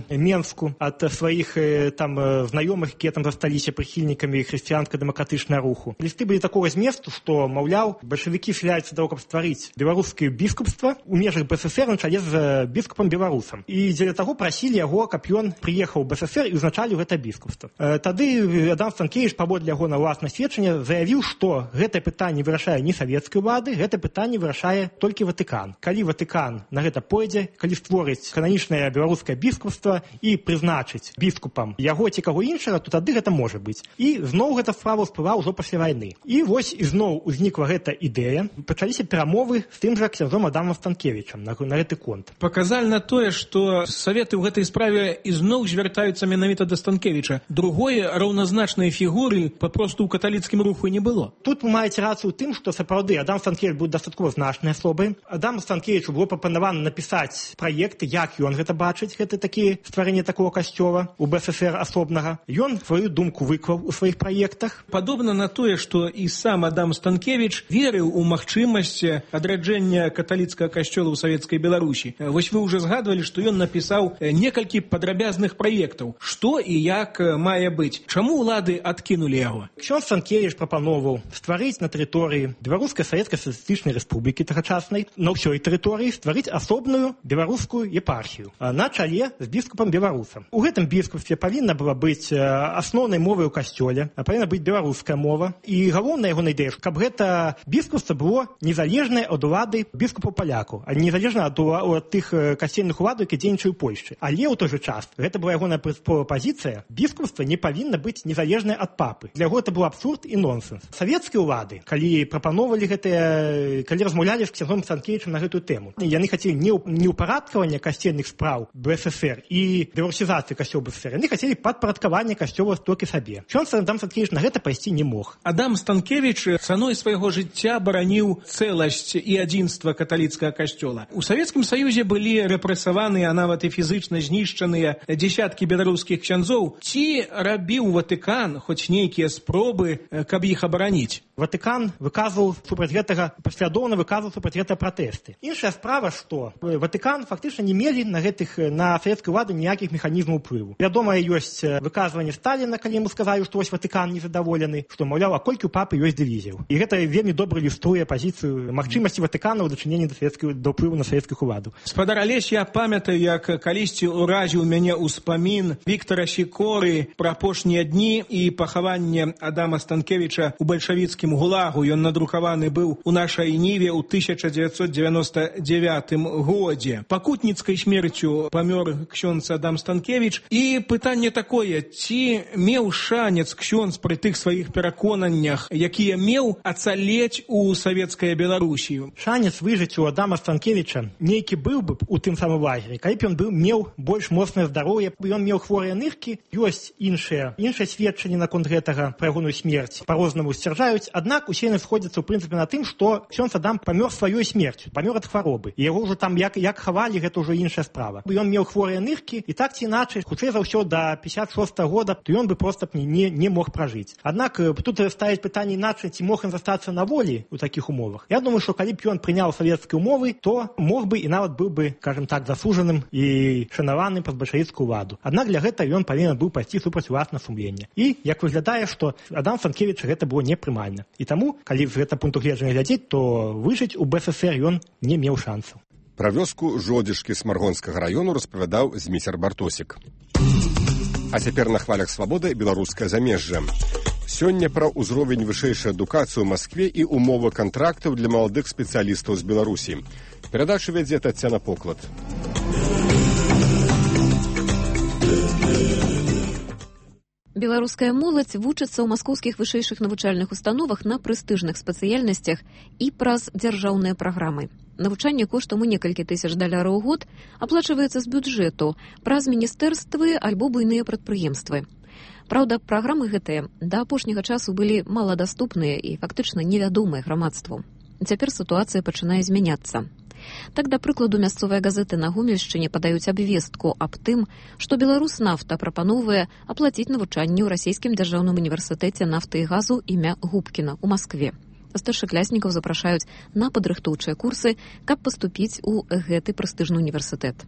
Менску ад сваіх там знаёмых, якія там засталіся прыхільнікамі хрысціянска-дэмакратычнага руху. Лісты былі такога зместу, што, маўляў, бальшавікі схіляюцца да того, каб стварыць беларускае біскупства ў межах БССР на чале з біскупам-беларусам. І дзеля таго прасілі яго, каб ён прыехаў у БССР і ўзначаліў гэта біскупства. Тады Адам Станкевіч, паводле яго на ўласнае сведчанне, заявіў, што гэтае пытанне вырашае не савецкай улады, гэта пытанне вырашае толькі Ватыкан. Калі Ватыкан на гэта пойдзе, калі створыць кананічнае беларускае біскупства і прызначыць біскупам яго ці каго іншага, то тады гэта можа быць. І зноў гэта справа ўсплыла ўжо пасля вайны. І вось ізноў узнікла гэта ідэя, пачаліся перамовы з тым жа ксяндзом Адамам Станкевічам на гэты конт. Паказальна тое, што саветы ў гэтай справе ізноў звяртаюцца менавіта да Станкевіча. Другое раўназначнай фігуры папросту ў каталіцкім руху не было. Тут вы маеце рацыю ў тым, што сапраўды Адам Станкевіч быў дастаткова значнай асобай. Адаму Станкевічу было прапанавана напісаць праекты, як ён гэта бачыць, гэта такі стварэнне такого касцёла у БССР асобнага. Ён сваю думку выклаў у сваіх праектах. Падобна на тое, што і сам Адам Станкевіч верыў у магчымасць адраджэння каталіцкага касцёла ў савецкай Беларусі. Вось вы ўжо згадвалі, што ён напісаў некалькі падрабязных праектаў. Што і як мае быць? Чаму ўлады адкінулі яго? Ксёндз Станкевіч прапановаў стварыць на тэрыторыі Беларускай савецкай сацыялістычнай рэспублікі тагачаснай, на ўсёй тэрыторыі стварыць асобную беларускую епархію на чале з біскупам-беларусам. У гэтым біскупстве павінна была быць асноўнай мовай у касцёле, павінна быць беларуская мова. І галоўная ягоная ідэя, каб гэта біскупства было незалежнае ад улады біскупаў-палякаў, а незалежна ад тых касцельных уладаў, які дзейнічаюць у Польшчы. Але ў той жа час гэта была ягоная прынцыповая пазіцыя, біскупства не павінна быць незалежнае ад папы. Для яго гэта быў абсурд і нонсенс. Савецкія ўлады, калі прапановалі гэтыя, калі размаўлялі з ксяндзом Станкевічам на гэтую тэму, яны хацелі не ўпарадкавання касцельных спраў БССР і беларусізацыі касцёла БССР, яны хацелі падпарадкавання касцёла толькі сабе. Ксёндз Адам Станкевіч на гэта пайсці не мог. Адам Станкевіч цаной свайго жыцця бараніў цэласць і адзінства каталіцкага касцёла. У Савецкім Саюзе былі рэпрэсаваныя, а нават і фізычна знішчаныя дзесяткі беларускіх ксяндзоў. Ці рабіў Ватыкан хоць нейкія спробы, каб іх абараніць? Ватыкан выказваў супраць гэтага, паслядоўна выказваў супраць гэтага пратэсты. Іншая справа, што Ватыкан фактычна не мелі на савецкую ўладу ніякіх механізмаў уплыву. Вядома, ёсць выказванне Сталіна, калі яму сказалі, што вось Ватыкан незадаволены, што, маўляў, а колькі ў папы ёсць дывізіяў. І гэта вельмі добра ілюструе пазіцыю магчымасці Ватыкана ў дачыненні да ўплыву на савецкіх уладаў. Спадар Алесь, я памятаю, як калісьці ўразіў мяне ўспамін Віктара Сікоры пра апошнія дні і пахаванне Адама Станкевіча ў бальшавіцкім гулагу. Ён надрукаваны быў у нашай Ніве ў 1999 годзе. Пакутніцкай смерцю памёр ксёндз Адам Станкевіч. І пытанне такое, ці меў шанец ксёндз пры тых сваіх пераконаннях, якія меў, ацалець у савецкай Беларусі? Шанец выжыць у Адама Станкевіча нейкі быў бы у тым самым лагеры, калі б ён меў больш моцнае здароўе, ён меў хворыя ныркі. Ёсць іншыя сведчанні наконт гэтага пра ягоную смерць. Па-рознаму сцвярджаюць, аднак усе яны сходзяцца ў прынцыпе на тым, што ксёндз Адам памёр сваёй смерцю. смерцю, памёр ад хваробы. І яго ўжо там як хавалі, гэта ўжо іншая справа. Ён меў хворыя ныркі, і так ці іначай, хутчэй за ўсё да 56-го года, то ён бы проста не мог пражыць. Аднак тут ставіць пытанне іначай, ці мог ён застацца на волі ў такіх умовах. Я думаю, што калі б ён прыняў савецкія умовы, то мог бы і нават быў бы, скажем так, засуджаным і шанаваным праз бальшавіцкую ўладу. Аднак для гэта ён павінен быў пайсці супраць уласнага сумлення. І як выглядае, што Адам Станкевіча гэта было непрымальна. І таму, калі з гэтага пункту гледжання глядзець, то выжыць у БССР ён не меў шансаў. Пра вёску Жодзішкі Смаргонскага раёну распавядаў Зміцер Бартосік. А цяпер на хвалях свабоды беларускае замежжа. Сёння пра ўзровень вышэйшай адукацыі ў Маскве і умовы кантрактаў для маладых спецыялістаў з Беларусі. Перадачу вядзе Таццяна Поклад. Беларуская моладзь вучыцца ў маскоўскіх вышэйшых навучальных установах на прэстыжных спецыяльнасцях і праз дзяржаўныя праграмы. Навучанне коштам у некалькі тысяч даляраў у год аплачваецца з бюджэту праз міністэрствы альбо буйныя прадпрыемствы. Праўда, праграмы гэтыя да апошняга часу былі маладаступныя і фактычна невядомыя грамадству. Цяпер сітуацыя пачынае змяняцца. Так, да прыкладу, мясцовыя газеты на Гомельшчыне падаюць абвестку аб тым, што Беларуснафта прапановвае аплаціць навучанне ў расійскім дзяржаўным універсітэце нафты і газу імя Губкіна ў Маскве. Старшакласнікаў запрашаюць на падрыхтоўчыя курсы, каб паступіць у гэты прэстыжны універсітэт.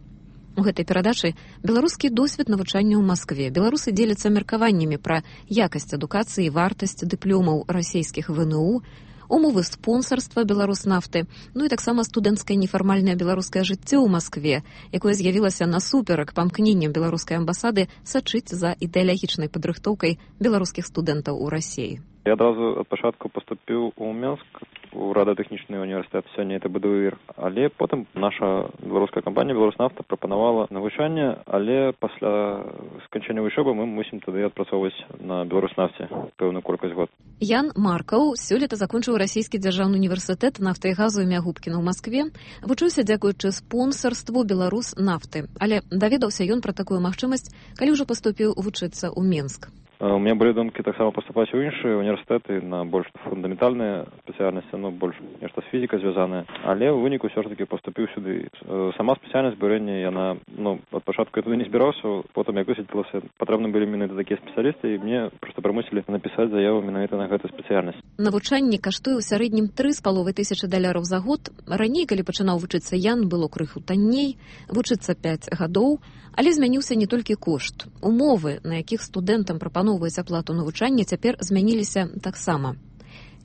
У гэтай перадачы беларускі досвед навучання ў Маскве. Беларусы дзеляцца меркаваннямі пра якасць адукацыі і вартасць дыпломаў расійскіх ВНУ, умовы спонсарства Беларуснафты, ну і таксама студэнцкае нефармальнае беларускае жыццё ў Маскве, якое з'явілася насуперак памкненням беларускай амбасады сачыць за ідэалагічнай падрыхтоўкай беларускіх студэнтаў у Расіі. Я адразу ад пачатку паступіў у Менск, у радыётэхнічны універсітэт, сёння это БДУІР. Але потым наша беларуская кампанія Беларуснафта прапанавала навучанне, але пасля сканчэння вучобы мы мусім тады адпрацоўваць на Беларуснафце пэўную колькасць год. Ян Маркаў сёлета закончыў расійскі дзяржаўны універсітэт нафты і газу імя Губкіна ў Маскве, вучыўся дзякуючы спонсарству Беларуснафты, але даведаўся ён пра такую магчымасць, калі ўжо паступіў вучыцца ў Менск. У меня были думки таксама поступать у іншыя універсітэты на больш фундаментальныя спецыяльнасці, ну, больш нешта з фізікай звязанае. Але ў выніку ўсё ж таки паступіў сюды. Сама спецыяльнасць бюрэння, яна, ну, ад пачатку я туды не збіраўся, потым як высветлілася, патрэбны былі менавіта такія спецыялісты, і мне проста прымусілі напісаць заяву менавіта на гэтую спецыяльнасць. Навучанне каштуе ў сярэднім 3,5 тысячы даляраў за год. Раней, калі пачынаў вучыцца Ян, было крыху танней, вучыцца 5 гадоў, але змяніўся не толькі кошт. Умовы, на якіх студэнтам прапаноўваюць аплату навучання, цяпер змяніліся таксама.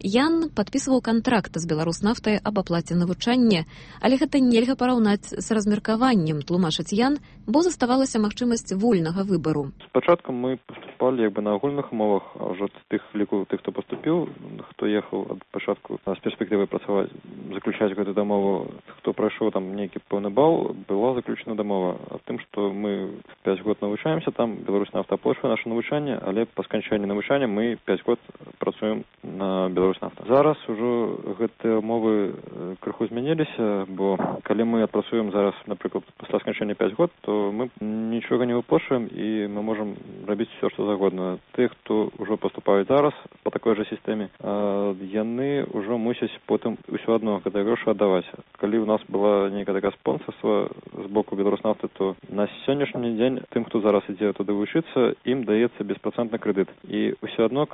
Ян падпісваў кантракт з Беларуснафтай аб аплаце навучання, але гэта нельга параўнаць з размеркаваннем, тлумачыць Ян, бо заставалася магчымасць вольнага выбару. Спачатку мы паступалі як бы на агульных умовах, а ўжо тых ліку тых, хто паступіў, хто ехаў ад пачатку з перспектывай працаваць, заключаць гэту дамову, хто прайшоў там нейкі пэўны бал, была заключена дамова аб тым, што мы 5 год навучаемся, там Беларуснафта аплачвае наше навучанне, але па сканчэнні навучання мы 5 год працуем на Беларуснафта. Зараз ужо гэтыя умовы крыху змяніліся, бо калі мы адпрацуем зараз, напрыклад, пасля сканчэння 5 год, то мы нічога не выплачваем і мы можам рабіць все, што загодна. Тых, хто ўжо паступаюць зараз по такой жа сістэме, яны ўжо мусяць потым ўсё адно гэтыя грошы аддаваць. Калі ў нас была нейкая такая спонсарства з боку Беларуснафты, то на сённяшні дзень тым, хто зараз ідзе туды вучыцца, ім даецца беспрацэнтны крэдыт. І ўсё адно,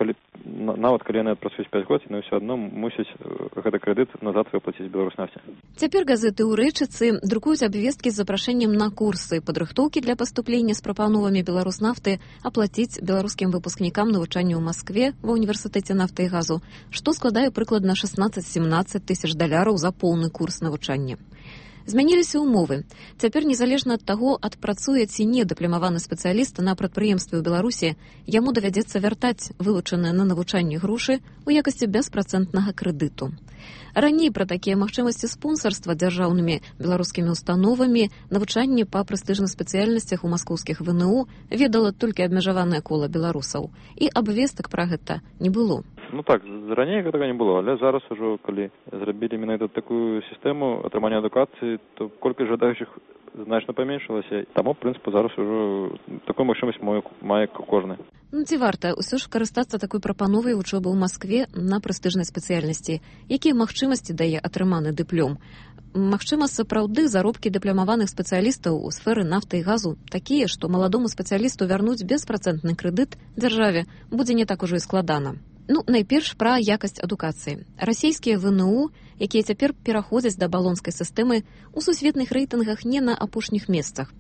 нават калі яны адпрацуюць 5 год, яны ўсё адно мусяць гэты крэдыт назад выплаціць Беларуснафце. Цяпер газеты ў рэчыцы друкуюць абвесткі з запрашэннем на курсы падрыхтоўкі для паступлення з прапановамі Беларуснафты аплаціць беларускім выпускнікам навучанне ў Маскве ва універсітэце нафты і газу, што складае прыкладна 16-17 тысяч даляраў за поўны курс навучання. Змяніліся ўмовы. Цяпер, незалежна ад таго, адпрацуе ці не дыпломаваны спецыяліст на прадпрыемстве ў Беларусі, яму давядзецца вяртаць вылучаныя на навучанне грошы ў якасці беспрацэнтнага крэдыту. Раней пра такія магчымасці спонсарства дзяржаўнымі беларускімі установамі навучанне па прэстыжных спецыяльнасцях у маскоўскіх ВНУ ведала толькі абмежаванае кола беларусаў. І абвестак пра гэта не было. Ну так, раней гэтага не было, але зараз ужо, калі зрабілі менавіта такую сістэму атрымання адукацыі, то колькасць жадаючых значна паменшылася. Таму, в прынцыпе, зараз ужо такую магчымасць мае кожны. Ну, ці варта ўсё ж карыстацца такой прапановай вучобы ў Маскве на прэстыжнай спецыяльнасці? Якія магчымасці дае атрыманы дыплом? Магчыма, сапраўды заробкі дыпламаваных спецыялістаў у сферы нафты і газу такія, што маладому спецыялісту вярнуць беспрацэнтны крэдыт дзяржаве будзе не так ужо і складана. Найперш пра якасць адукацыі. Расійскія ВНУ, якія цяпер пераходзяць да балонскай сістэмы, у сусветных рэйтынгах не на апошніх месцах.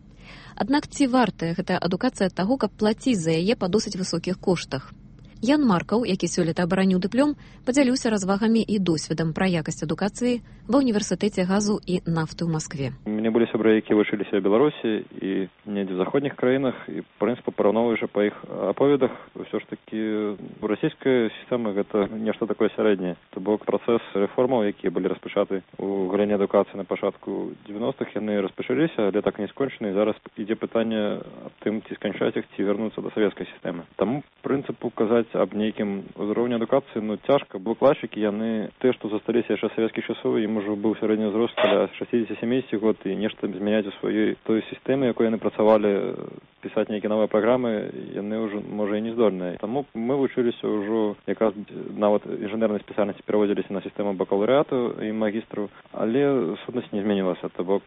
Аднак ці вартая гэтая адукацыя таго, каб плаціць за яе па досыць высокіх коштах? Ян Маркаў, які сёлета абараніў дыплом, падзяліўся развагамі і досведам пра якасць адукацыі ва ўніверсітэце газу і нафты ў Маскве. У мяне былі сябры, якія вучыліся ў Беларусі і недзе в заходніх краінах, і, в прынцыпе, параўноўваючы па іх аповедах, ўсё ж такі расійская сістэма гэта нешта такое сярэдняе. То бок працэс рэформаў, якія былі распачаты ў галіне адукацыі на пачатку 90-х, яны распачаліся, але так не скончаны, і зараз ідзе пытанне аб тым, ці сканчаць іх, ці вярнуцца да савецкай сістэмы. Таму, в прынцыпу, казаць аб нейкім узроўні адукацыі, цяжка, бо класікі, яны тыя, што засталіся яшчэ савецкіх часоў, ім ужо быў сярэдні ўзрост каля 60-70 год, і нешта змяняць у сваёй той сістэме, якой яны працавалі, пісаць нейкія новыя праграмы, яны ўжо, можа, і не здольныя. Таму мы вучыліся ўжо, якраз нават інжынернай спецыяльнасці пераводзіліся на сістэму бакалаўрыяту і магістру, але сутнасць не змянілася, то бок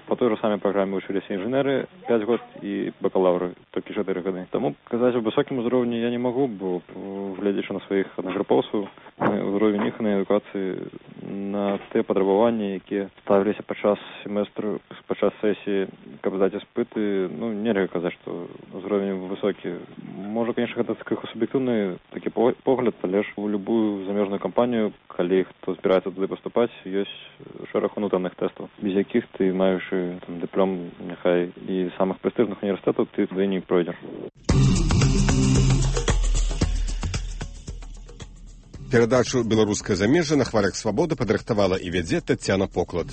по той же самой программе вучыліся інжынеры 5 год і бакалаўры толькі 4 гады. Таму казаць у высокім узроўні я не магу, бо глядзячы на сваіх аднагрупоўцаў, ўзровень іх на адукацыі, на тыя патрабаванні, якія ставіліся падчас семестру, падчас сесіі, каб здаць іспыты, нельга казаць, што ўзровень высокі. Можа, конечно, гэта крыху суб'ектыўны такі погляд, але ж у любую замежную кампанію, калі хто збіраецца туды паступаць, ёсць шэраг унутраных тэстаў, без якіх ты, маючы дыплом, няхай і самых прэстыжных універсітэтаў, ты туды не пройдзеш. Перадачу «Беларускае замежжа» на хвалях свабоды падрыхтавала і вядзе Таццяна Поклад.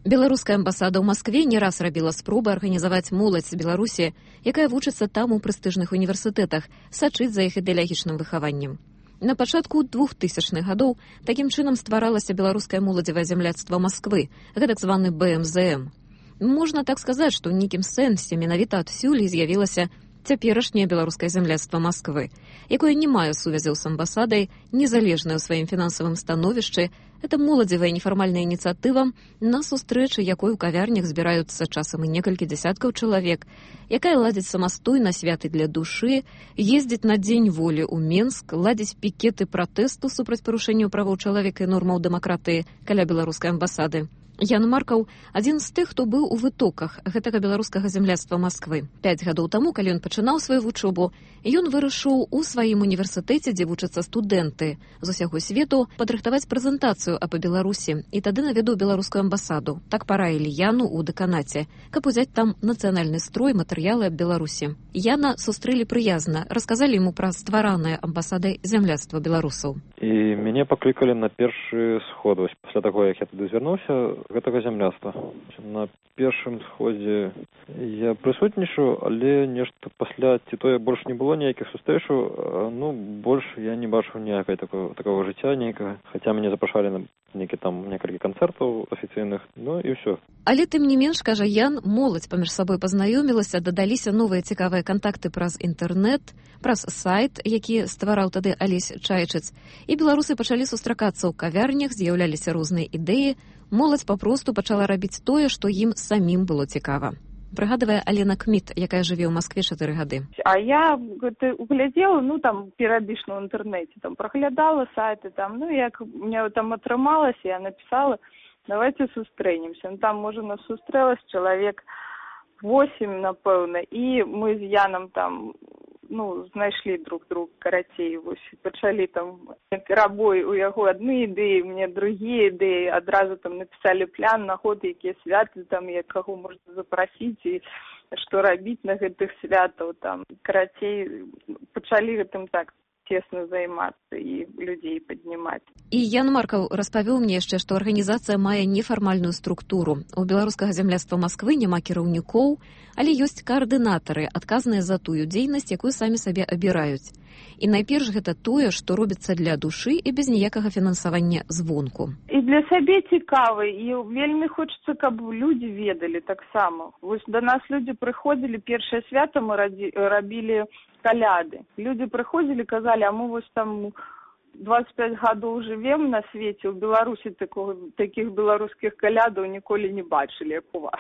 Беларуская амбасада ў Маскве не раз рабіла спробы арганізаваць моладзь з Беларусі, якая вучыцца там у прэстыжных універсітэтах, сачыць за іх ідэалагічным выхаваннем. На пачатку 2000-х гадоў такім чынам стваралася беларускае моладзевае зямляцтва Масквы, гэтак званы БМЗМ. Можна так сказаць, што ў нейкім сэнсе менавіта адсюль з'явілася цяперашняе беларускае зямляцтва Масквы, якое не мае сувязяў з амбасадай, незалежнае ў сваім фінансавым становішчы. Это моладзевая нефармальная ініцыятыва, на сустрэчы якой у кавярнях збіраюцца часам і некалькі дзясяткаў чалавек, якая ладзіць самастойна святы для душы, ездзіць на Дзень волі ў Менск, ладзіць пікеты пратэсту супраць парушэнняў правоў чалавека і нормаў дэмакратыі каля беларускай амбасады. Ян Маркаў – адзін з тых, хто быў у вытоках гэтага беларускага зямляцтва Масквы. 5 гадоў таму, калі ён пачынаў сваю вучобу, ён вырашыў у сваім універсітэце, дзе вучацца студэнты з усяго свету, падрыхтаваць прэзентацыю аб Беларусі, і тады наведаў беларускую амбасаду. Так параілі Яну ў дэканаце, каб узяць там нацыянальны строй, матэрыялы аб Беларусі. Яна сустрэлі прыязна, расказалі яму пра стваранае амбасадай зямляцтва беларусаў. І мяне паклікалі на першы сход, пасля таго, як я туды звярнуўся, гэтага зямляцтва. На першым сходзе я прысутнічаў, але нешта пасля ці тое больш не было ніякіх сустрэчаў, больш я не бачыў ніякай такого жыцця нейкага, хаця мяне запрашалі на некалькі канцэртаў афіцыйных, і ўсё. Але тым не менш, кажа Ян, моладзь паміж сабой пазнаёмілася, дадаліся новыя цікавыя кантакты праз інтэрнэт, праз сайт, які ствараў тады Алесь Чайчыц, і беларусы пачалі сустракацца ў кавярнях, з'яўляліся розныя ідэі, моладзь папросту пачала рабіць тое, што ім самім было цікава. Прыгадвае Алена Кміт, якая жыве ў Маскве 4 гады. А я углядзела, перыядычна ў інтэрнэце, праглядала сайты, як мне там атрымалася, я напісала, давайте сустрэнемся. Там, можа, нас сустрэлася чалавек 8, напэўна, і мы з Янам там знайшлі друг друга, карацей, пачалі перабой у яго адны ідэі, мне другія ідэі, адразу напісалі план на год, якія святы, як каго можна запрасіць і што рабіць на гэтых святаў, карацей, пачалі гэтым так цесна займацца і людзей паднімаць. І Ян Маркаў распавёў мне яшчэ, што арганізацыя мае нефармальную структуру. У беларускага зямляцтва Масквы няма кіраўнікоў, але ёсць каардынатары, адказныя за тую дзейнасць, якую самі сабе абіраюць. І найперш гэта тое, што робіцца для душы і без ніякага фінансавання звонку. І для сябе цікава, і вельмі хочацца, каб людзі ведалі таксама. Вось да нас людзі прыходзілі, першае свята мы рабілі каляды. Людзі прыходзілі, казалі, а мы вось там 25 гадоў жывем на свеце, у Беларусі такіх беларускіх калядаў ніколі не бачылі, як у вас.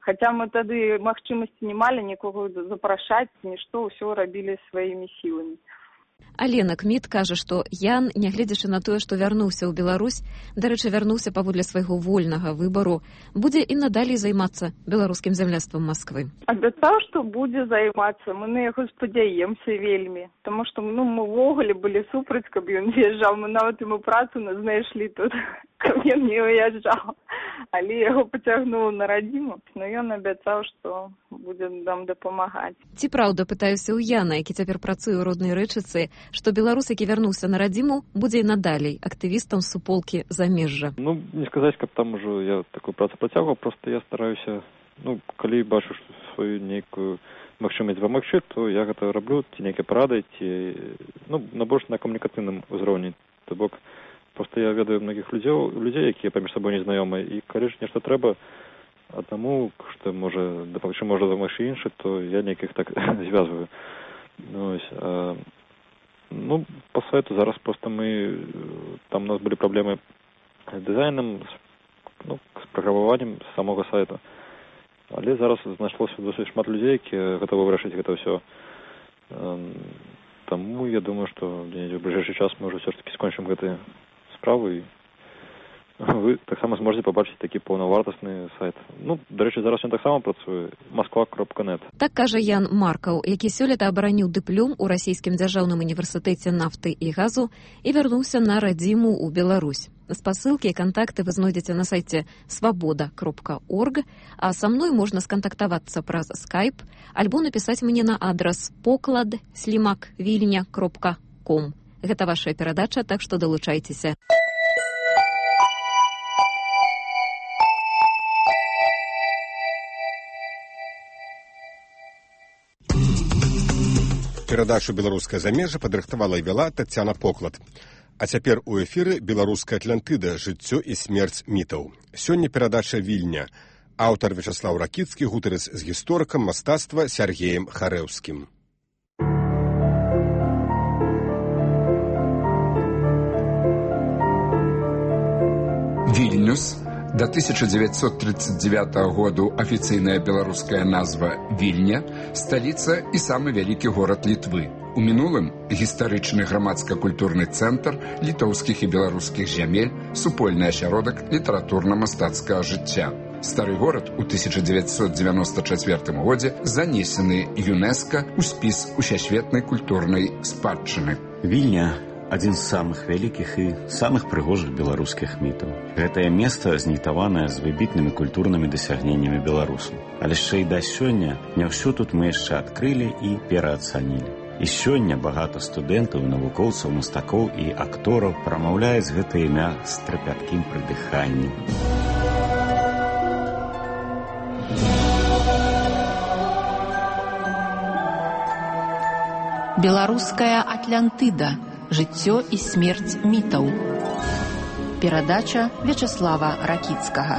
Хаця мы тады магчымасці не малі нікога запрашаць, нішто, ўсё рабілі сваімі сіламі. Алена Кміт кажа, што Ян, нягледзячы на тое, што вярнуўся ў Беларусь, дарэчы, вярнуўся паводле свайго вольнага выбару, будзе і надалей займацца беларускім зямляцтвам Масквы. Абяцаў, што будзе займацца, мы на яго спадзяемся вельмі, таму што мы ўвогуле былі супраць, каб ён з'язджаў, мы нават яму працу знайшлі тут, каб ён не уязджаў, але яго пацягнула на радзіму, но ён абяцаў, што будзе нам дапамагаць. Ці праўда, пытаюся ў Яна, які цяпер працуе ў роднай Рэчыцы, што беларус, які вярнуўся на радзіму, будзе і надалей актывістам суполкі замежжа. Не сказаць, каб там ужо я такую працу працягваў, просто я стараюся, калі бачу сваю нейкую магчымасць дапамагчы, то я гэта раблю, ці нейкія парады, ці на больш на камунікацыйным узроўні. То бок, просто я ведаю многіх людзей, якія паміж сабой незнаёмыя, і калі ж нешта трэба аднаму, што можа дапамагчы іншы, то я нейкіх так звязваю. По сайту зараз просто там у нас были проблемы с дизайном, с праграмаваннем самого сайта. Але зараз знайшлося досыць шмат людзей, які гатовы вырашыць гэта ўсё. Таму я думаю, што в ближайшы час мы ўжо ўсё ж таки скончым гэтыя справы. Вы таксама зможаце пабачыць такі паўнавартасны сайт. Дарэчы, зараз ён таксама працуе, moskva.net. Так кажа Ян Маркаў, які сёлета абараніў дыплом у расійскім дзяржаўным універсітэце нафты і газу і вярнуўся на радзіму ў Беларусь. Спасылкі і кантакты вы знойдзеце на сайце svoboda.org, а са мной можна скантактавацца праз Skype альбо напісаць мне на адрас poklad@vilnya.com. Гэта ваша перадача, так што далучайцеся. Перадачу «Беларускае замежжа» падрыхтавала і вяла Таццяна Поклад. А цяпер у эфіры «Беларуская Атлантыда. Жыццё і смерць мітаў». Сёння перадача «Вільня». Аўтар Вячаслаў Ракіцкі гутарыць з гісторыкам мастацтва Сяргеем Харэўскім. Вільнюс. До 1939 году афіцыйная беларуская назва Вільня, сталіца і самы вялікі горад Літвы. У мінулым гістарычны грамадска-культурны цэнтр літоўскіх і беларускіх зямель, супольны асяродак літаратурна-мастацкага жыцця. Стары горад у 1994 годзе занесены ЮНЕСКО ў спіс усесветнай культурнай спадчыны. Вільня адзін з самых вялікіх і самых прыгожых беларускіх мітаў. Гэтае месца знітаванае з выбітнымі культурнымі дасягненнямі беларусаў. Але яшчэ і да сёння не ўсё тут мы яшчэ адкрылі і пераацанілі. І сёння багата студэнтаў, навукоўцаў, мастакоў і актораў прамаўляюць гэта імя з трапяткім прыдыханнем. Беларуская Атлантыда. Жыццё і смерць мітаў. Перадача Вячаслава Ракіцкага.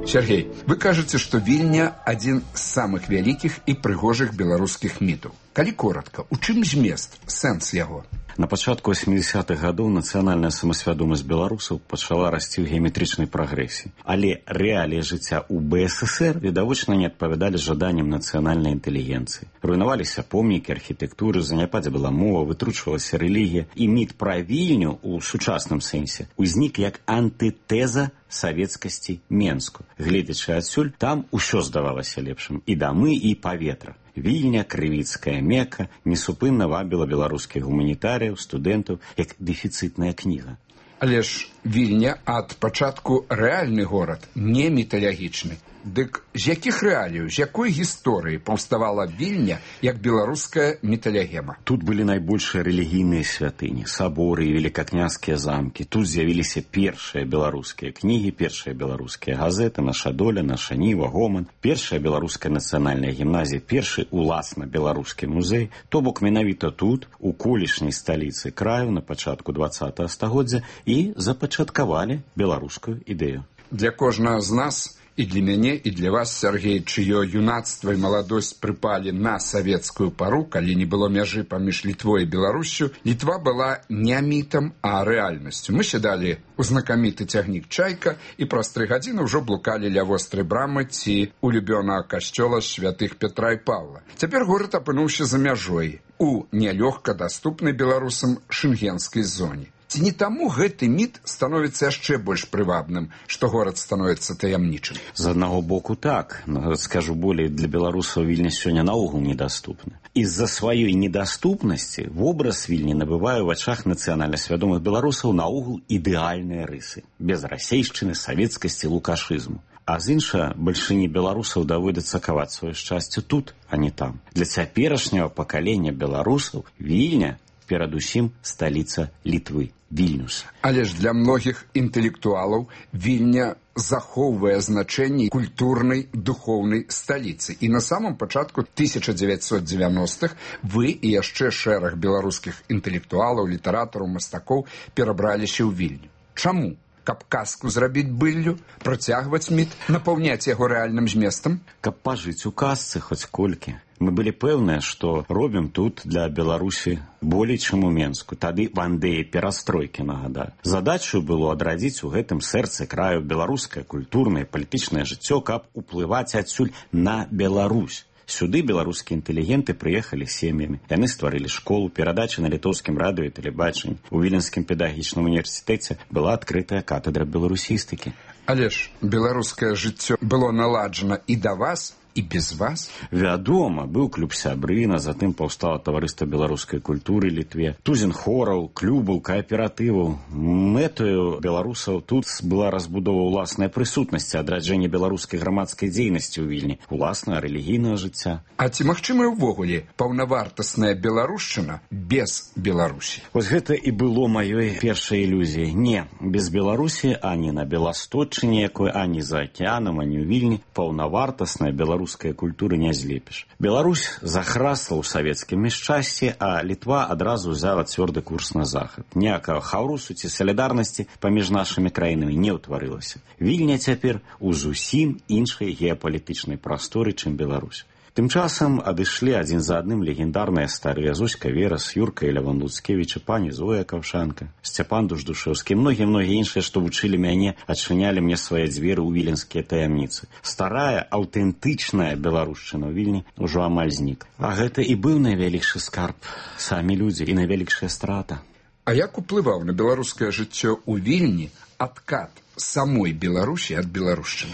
Сергей, вы кажаце, што Вільня адзін з самых вялікіх і прыгожых беларускіх мітаў. Калі коратка, у чым змест, сэнс яго? На пачатку 80-х гадоў нацыянальная самасвядомасць беларусаў пачала расці ў геаметрычнай прагрэсіі. Але рэаліі жыцця ў БССР відавочна не адпавядалі жаданням нацыянальнай інтэлігенцыі. Руйнаваліся помнікі архітэктуры, заняпадзе была мова, вытручвалася рэлігія, і міт пра Вільню ў сучасным сэнсе узнік як антытэза савецкасці Менску. Гледзячы адсюль, там усё здавалася лепшым, і дамы, і паветра. Вільня, крывіцкая Мека, несупынна вабіла беларускіх гуманітарыяў, студэнтаў, як дэфіцытная кніга. Але ж Вільня ад пачатку рэальны горад, не міталагічны. Дык з якіх рэаліяў, з якой гісторыі паўставала Вільня як беларуская металягема? Тут былі найбольшыя рэлігійныя святыні, саборы і великакняжскія замкі. Тут з'явіліся першыя беларускія кнігі, першыя беларускія газеты, наша доля, наша ніва, гоман, першая беларуская нацыянальная гімназія, першы уласна беларускі музей. То бок менавіта тут, у колішняй сталіцы краю на пачатку 20-го стагоддзя і запачаткавалі беларускую ідэю. Для кожнага з нас, і для мяне, і для вас, Сергей, чыё юнацтва і маладосць прыпалі на савецкую пару, калі не было мяжы паміж Літвой і Беларусю, Літва была не мітам, а рэальнасцю. Мы сядалі ў знакаміты цягнік «Чайка» і праз 3 гадзіны ўжо блукалі ля вострай брамы ці улюбёнага касцёла святых Петра і Павла. Цяпер горад апынуўся за мяжой, у нялёгка даступнай беларусам шэнгенскай зоне. Ці не таму гэты міт становіцца яшчэ больш прывабным, што горад становіцца таямнічым? З аднаго боку так, но, скажу болей, для беларусаў Вільня сёння наогул недаступна. Из-за сваёй недаступнасці вобраз Вільні набывае ў вачах нацыянальна свядомых беларусаў наогул ідэальныя рысы, без расейшчыны, савецкасці, лукашызму. А з іншага, бальшыні беларусаў даводзіцца каваць сваё шчасце тут, а не там. Для цяперашняга пакалення беларусаў Вільня перадусім сталіца Літвы, Вільнюс. Але ж для многіх інтэлектуалаў Вільня захоўвае значэнне культурнай, духоўнай сталіцы. І на самом пачатку 1990-х вы і яшчэ шэраг беларускіх інтэлектуалаў, літаратараў, мастакоў перабраліся ў Вільню. Чаму? Каб казку зрабіць быллю, працягваць міт, напаўняць яго рэальным зместам? Каб пажыць у казцы хоць колькі. Мы былі пэўныя, што робім тут для Беларусі болей, чым у Менску. Тады вандеі перастройкі, нагадаю. Задачаю было адрадзіць у гэтым сэрцы краю беларускае культурнае, палітычнае жыццё, каб уплываць адсюль на Беларусь. Сюды беларускія інтэлігенты прыехалі сем'ямі. Яны стварылі школу, перадачы на літоўскім радыё і тэлебачанні. У Віленскім педагагічным універсітэце была адкрытая катедра беларусістыкі. Але ж беларускае жыццё было наладжана і да вас, і без вас? Вядома, быў клуб сябрына, затым паўстала таварыства беларускай культуры Літве, тузін хораў, клубаў, кааператываў. Мэтаю беларусаў тут была разбудова ўласнай прысутнасці, адраджэнне беларускай грамадскай дзейнасці ў Вільні, уласнага рэлігійнага жыцця. А ці магчымая ўвогуле паўнавартасная беларушчына без Беларусі? Вось гэта і было маёй першай ілюзіяй. Не, без Беларусі ані на Беласточчыне якой, ані за акеанам, ані ў Вільні паўнавартасная беларуская культуры не злепіш. Беларусь захрасла ў савецкім няшчасці, а Літва адразу ўзяла цвёрды курс на захад. Ніякага хаўрусу ці салідарнасці паміж нашымі краінамі не ўтварылася. Вільня цяпер у зусім іншай геапалітычнай прасторы, чым Беларусь. Тым часам адышлі адзін за адным легендарныя старыя Зоська Верас, Юрка і Лявон Луцкевіч, пані Зоя Каўшанка, Сцяпан Дуждушэўскі, многія іншыя, што вучылі мяне, адчынялі мне свае дзверы ў віленскія таямніцы. Старая, аўтэнтычная беларушчына ў Вільні ўжо амаль знік. А гэта і быў найвялікшы скарб, самі людзі, і найвялікшая страта. А як уплываў на беларускае жыццё ў Вільні адкат самой Беларусі ад беларушчыны?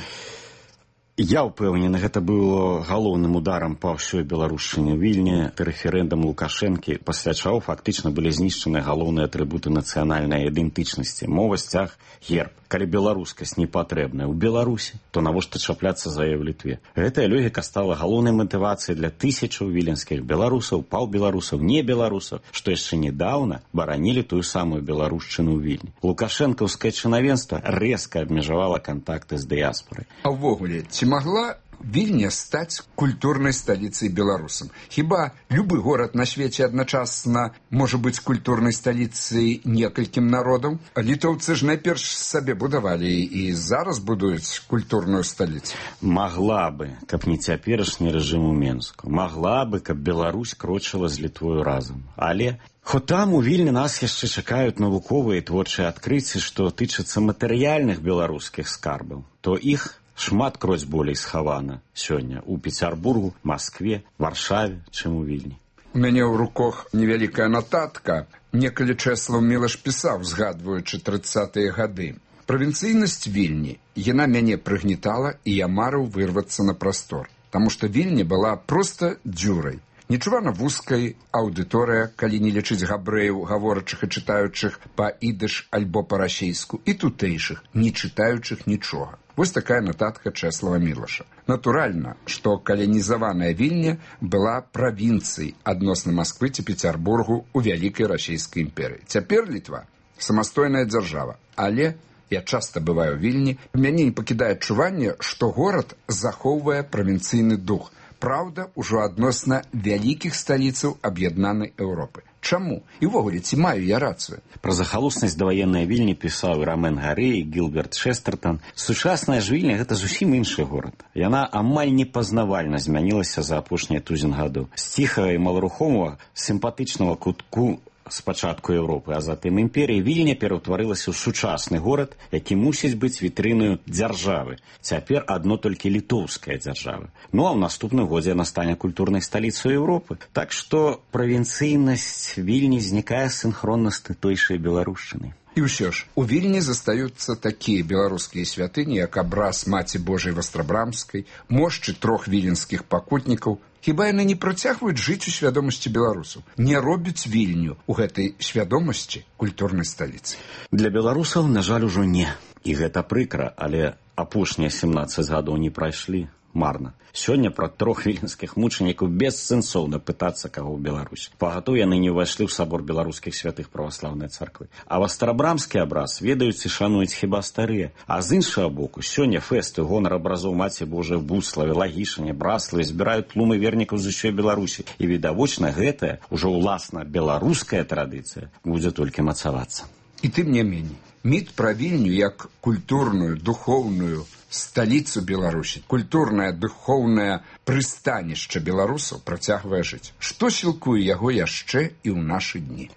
Я ўпэўнены, гэта было галоўным ударам па ўсёй беларушчыне. Вільні, рэферэндум Лукашэнкі, пасля чаго фактычна былі знішчаны галоўныя атрыбуты нацыянальнай ідэнтычнасці. Мова, сцяг, герб. Калі беларускасць не патрэбная ў Беларусі, то навошта чапляцца за яе ў Літве? Гэтая логіка стала галоўнай матывацыяй для тысячаў віленскіх беларусаў, паўбеларусаў, не беларусаў, што яшчэ нядаўна баранілі тую самую беларушчыну ў Вільні. Лукашэнкаўскае чынавенства рэзка абмежавала кантакты з дыяспорай. А ўвогуле, ці магла Вільня стаць культурнай сталіцай беларусам? Хіба любы горад на свеце адначасна можа быць культурнай сталіцай некалькім народаў? Літоўцы ж найперш сабе будавалі і зараз будуюць культурную сталіцу. Магла бы, каб не цяперашні рэжым у Менску. Магла бы, каб Беларусь крочыла з Літвою разам. Але хоць там у Вільні нас яшчэ чакаюць навуковыя і творчыя адкрыцці, што тычацца матэрыяльных беларускіх скарбаў, то іх шмат кроць болей схавана сёння ў Пецярбургу, Маскве, Варшаве, чым у Вільні. У мяне ў руках невялікая нататка. Некалі Чэслаў Мілаш пісаў, згадваючы 30-е гады. Правінцыйнасць Вільні, яна мяне прыгнетала, і я марыў вырвацца на прастор. Таму што Вільня была проста дзюрай. Нечувана вузкай аўдыторыя, калі не лічыць габрэяў, гаворачых і чытаючых па-ідыш альбо па-расейску, і тутэйшых, не чытаючых нічога. Вось такая нататка Чэслава Мілаша. Натуральна, што каланізаваная Вільня была правінцыяй адносна Масквы ці Пецярбургу ў вялікай расійскай імперыі. Цяпер Літва самастойная дзяржава, але я часта бываю ў Вільні, мяне не пакідае адчуванне, што горад захоўвае правінцыйны дух. Праўда, ужо адносна вялікіх сталіцаў аб'яднанай Еўропы. Чаму? І ўвогуле, ці маю я рацыю? Пра захалуснасць даваеннай Вільні пісаў і Рамен Гары, і Гілберт Шэстертан. Сучасная ж Вільня – гэта зусім іншы горад. Яна амаль непазнавальна змянілася за апошнія тузін гадоў. З ціхага і маларухомага, сімпатычнага кутку спачатку Еўропы, а затым імперіі, Вільня пераўтварылася ў сучасны горад, які мусіць быць вітрынаю дзяржавы. Цяпер адно толькі літоўская дзяржава. Ну а ў наступным годзе яна стане культурнай сталіцай Еўропы. Так што правінцыйнасць Вільні знікае сінхронна з тутойшай беларушчынай. І ўсё ж, у Вільні застаюцца такія беларускія святыні, як абраз Маці Божай Вастрабрамскай, мошчы 3 віленскіх пакутнікаў. Хіба яны не працягваюць жыць у свядомасці беларусаў? Не робяць Вільню ў гэтай свядомасці культурнай сталіцы? Для беларусаў, на жаль, ужо не. І гэта прыкра, але апошнія 17 гадоў не прайшлі марна. Сёння пра 3 віленскіх мучанікаў бессэнсоўна пытацца каго ў Беларусі. Пагатоў яны не ўвайшлі ў сабор беларускіх святых праваслаўнай царквы. А вастрабрамскі абраз ведаюць і шануюць хіба старыя. А з іншага боку, сёння фэсты гонар абразоў Маці Божай в Буславе, Лагішане, Браславе збіраюць тлумы вернікаў з усёй Беларусі. І відавочна гэтая, ужо ўласна беларуская традыцыя будзе толькі мацавацца. І тым не меней, міт пра Вільню як культурную, духоўную сталіцу Беларусі, культурнае, духоўнае прыстанішча беларусаў працягвае жыць. Што сілкуе яго яшчэ і ў нашы дні?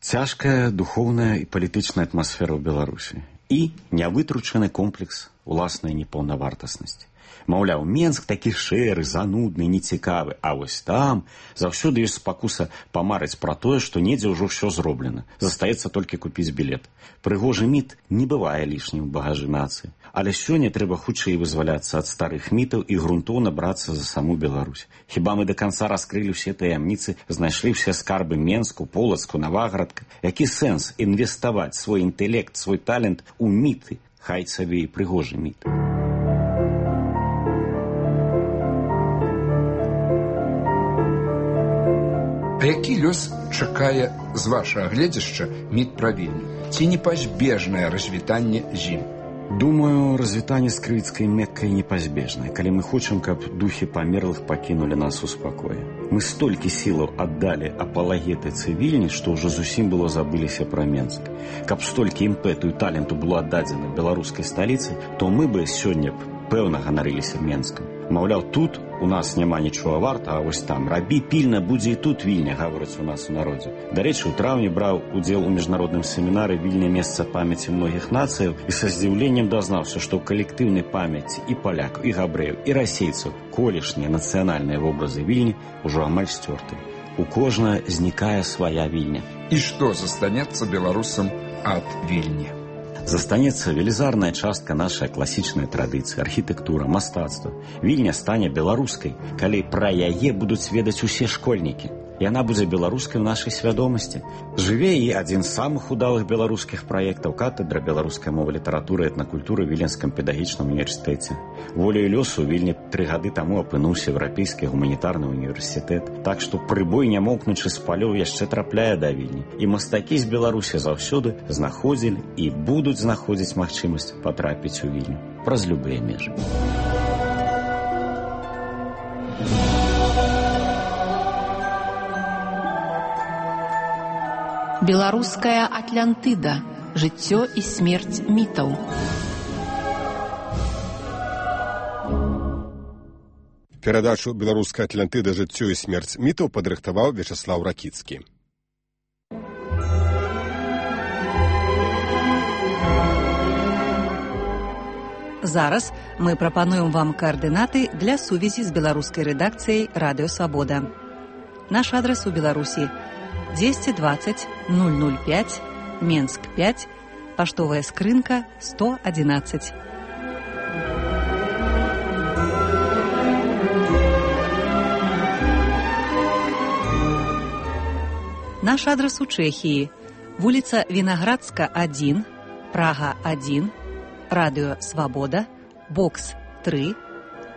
Цяжкая духоўная і палітычная атмасфера ў Беларусі. І нявытручаны комплекс уласнай непаўнавартаснасці. Маўляў, Менск такі шэры, занудны, нецікавы, а вось там заўсёды ёсць спакуса памарыць пра тое, што недзе ўжо ўсё зроблена. Застаецца толькі купіць білет. Прыгожы міт не бывае лішнім у багажы нацыі. Але сёння трэба хутчэй вызваляцца ад старых мітаў і грунтоўна брацца за саму Беларусь. Хіба мы да канца раскрылі ўсе таямніцы, знайшлі ўсе скарбы Менску, Полацку, Наваградка? Які сэнс інвеставаць свой інтэлект, свой талент у міты, хай сабе і прыгожы міт? А які лёс чакае з вашага гледзяшча міт пра Вільню? Ці непазбежнае развітанне з ім? Думаю, развітанне з крывіцкай Меккай непазбежнае, калі мы хочам, каб духі памерлых пакінулі нас у спакоі. Мы столькі сілаў аддалі апалагетыцы Вільні, што ўжо зусім было забыліся пра Менск. Каб столькі імпэту і таленту было аддадзена беларускай сталіцы, то мы бы сёння пэўна ганарыліся Менскам. Маўляў, тут у нас няма нічога варта, а вось там рабі пільна, будзе і тут Вільня, гаворыць у нас у народзе. Дарэчы, у траўні браў удзел у міжнародным семінары «Вільня – месца памяці многіх нацыяў» і са здзіўленнем дазнаўся, што ў калектыўнай памяці і палякаў, і габрэяў, і расейцаў колішнія нацыянальныя вобразы Вільні ўжо амаль сцёрты. У кожнага знікае свая Вільня. І што застанецца беларусам ад Вільні? Застанецца велізарная частка нашай класічнай традыцыі, архітэктура, мастацтва. Вільня стане беларускай, калі пра яе будуць ведаць усе школьнікі. Яна будзе беларускай у нашай свядомасці. Жыве і адзін з самых удалых беларускіх праектаў катэдра беларускай мовы, літаратуры і этнакультуры ў Віленскім педагагічным універсітэце. Воляю лёсу Вільня 3 гады таму апынуўся еўрапейскі гуманітарны універсітэт. Так што прыбой, нямоўкнучы з палёў, яшчэ трапляе да Вільні. І мастакі з Беларусі заўсёды знаходзілі і будуць знаходзіць магчымасць патрапіць у Вільню праз любыя межы. Беларуская Атлантыда. Жыццё і смерць мітаў. Перадачу «Беларуская Атлантыда. Жыццё і смерць мітаў» падрыхтаваў Вячаслаў Ракіцкі. Зараз мы прапануем вам координаты для сувязі з беларускай рэдакцыяй «Радыё Свабода». Наш адрес у Беларусі 220 005, Менск 5, паштовая скрынка 111. Наш адрес у Чэхіі. Вуліца Вінаградска, 1, Прага, 1, Радыё Свабода, бокс 3,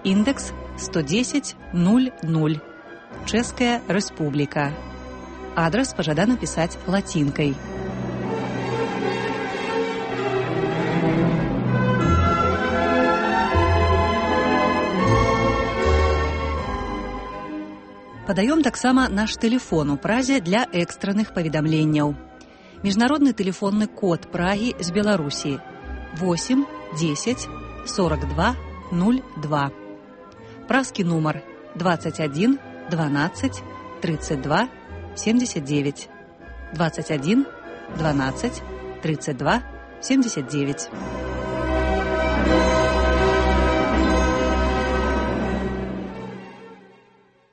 індекс 110-00, Чэшская Рэспубліка. Адрес пажадана пісаць лацінкай. Падаём таксама наш тэлефон у Празе для экстранных паведамленняў. Міжнародны тэлефонны код Прагі з Беларусі 8 10 42 02. Празкі нумар 21 12 32 79. 21 12 32 79.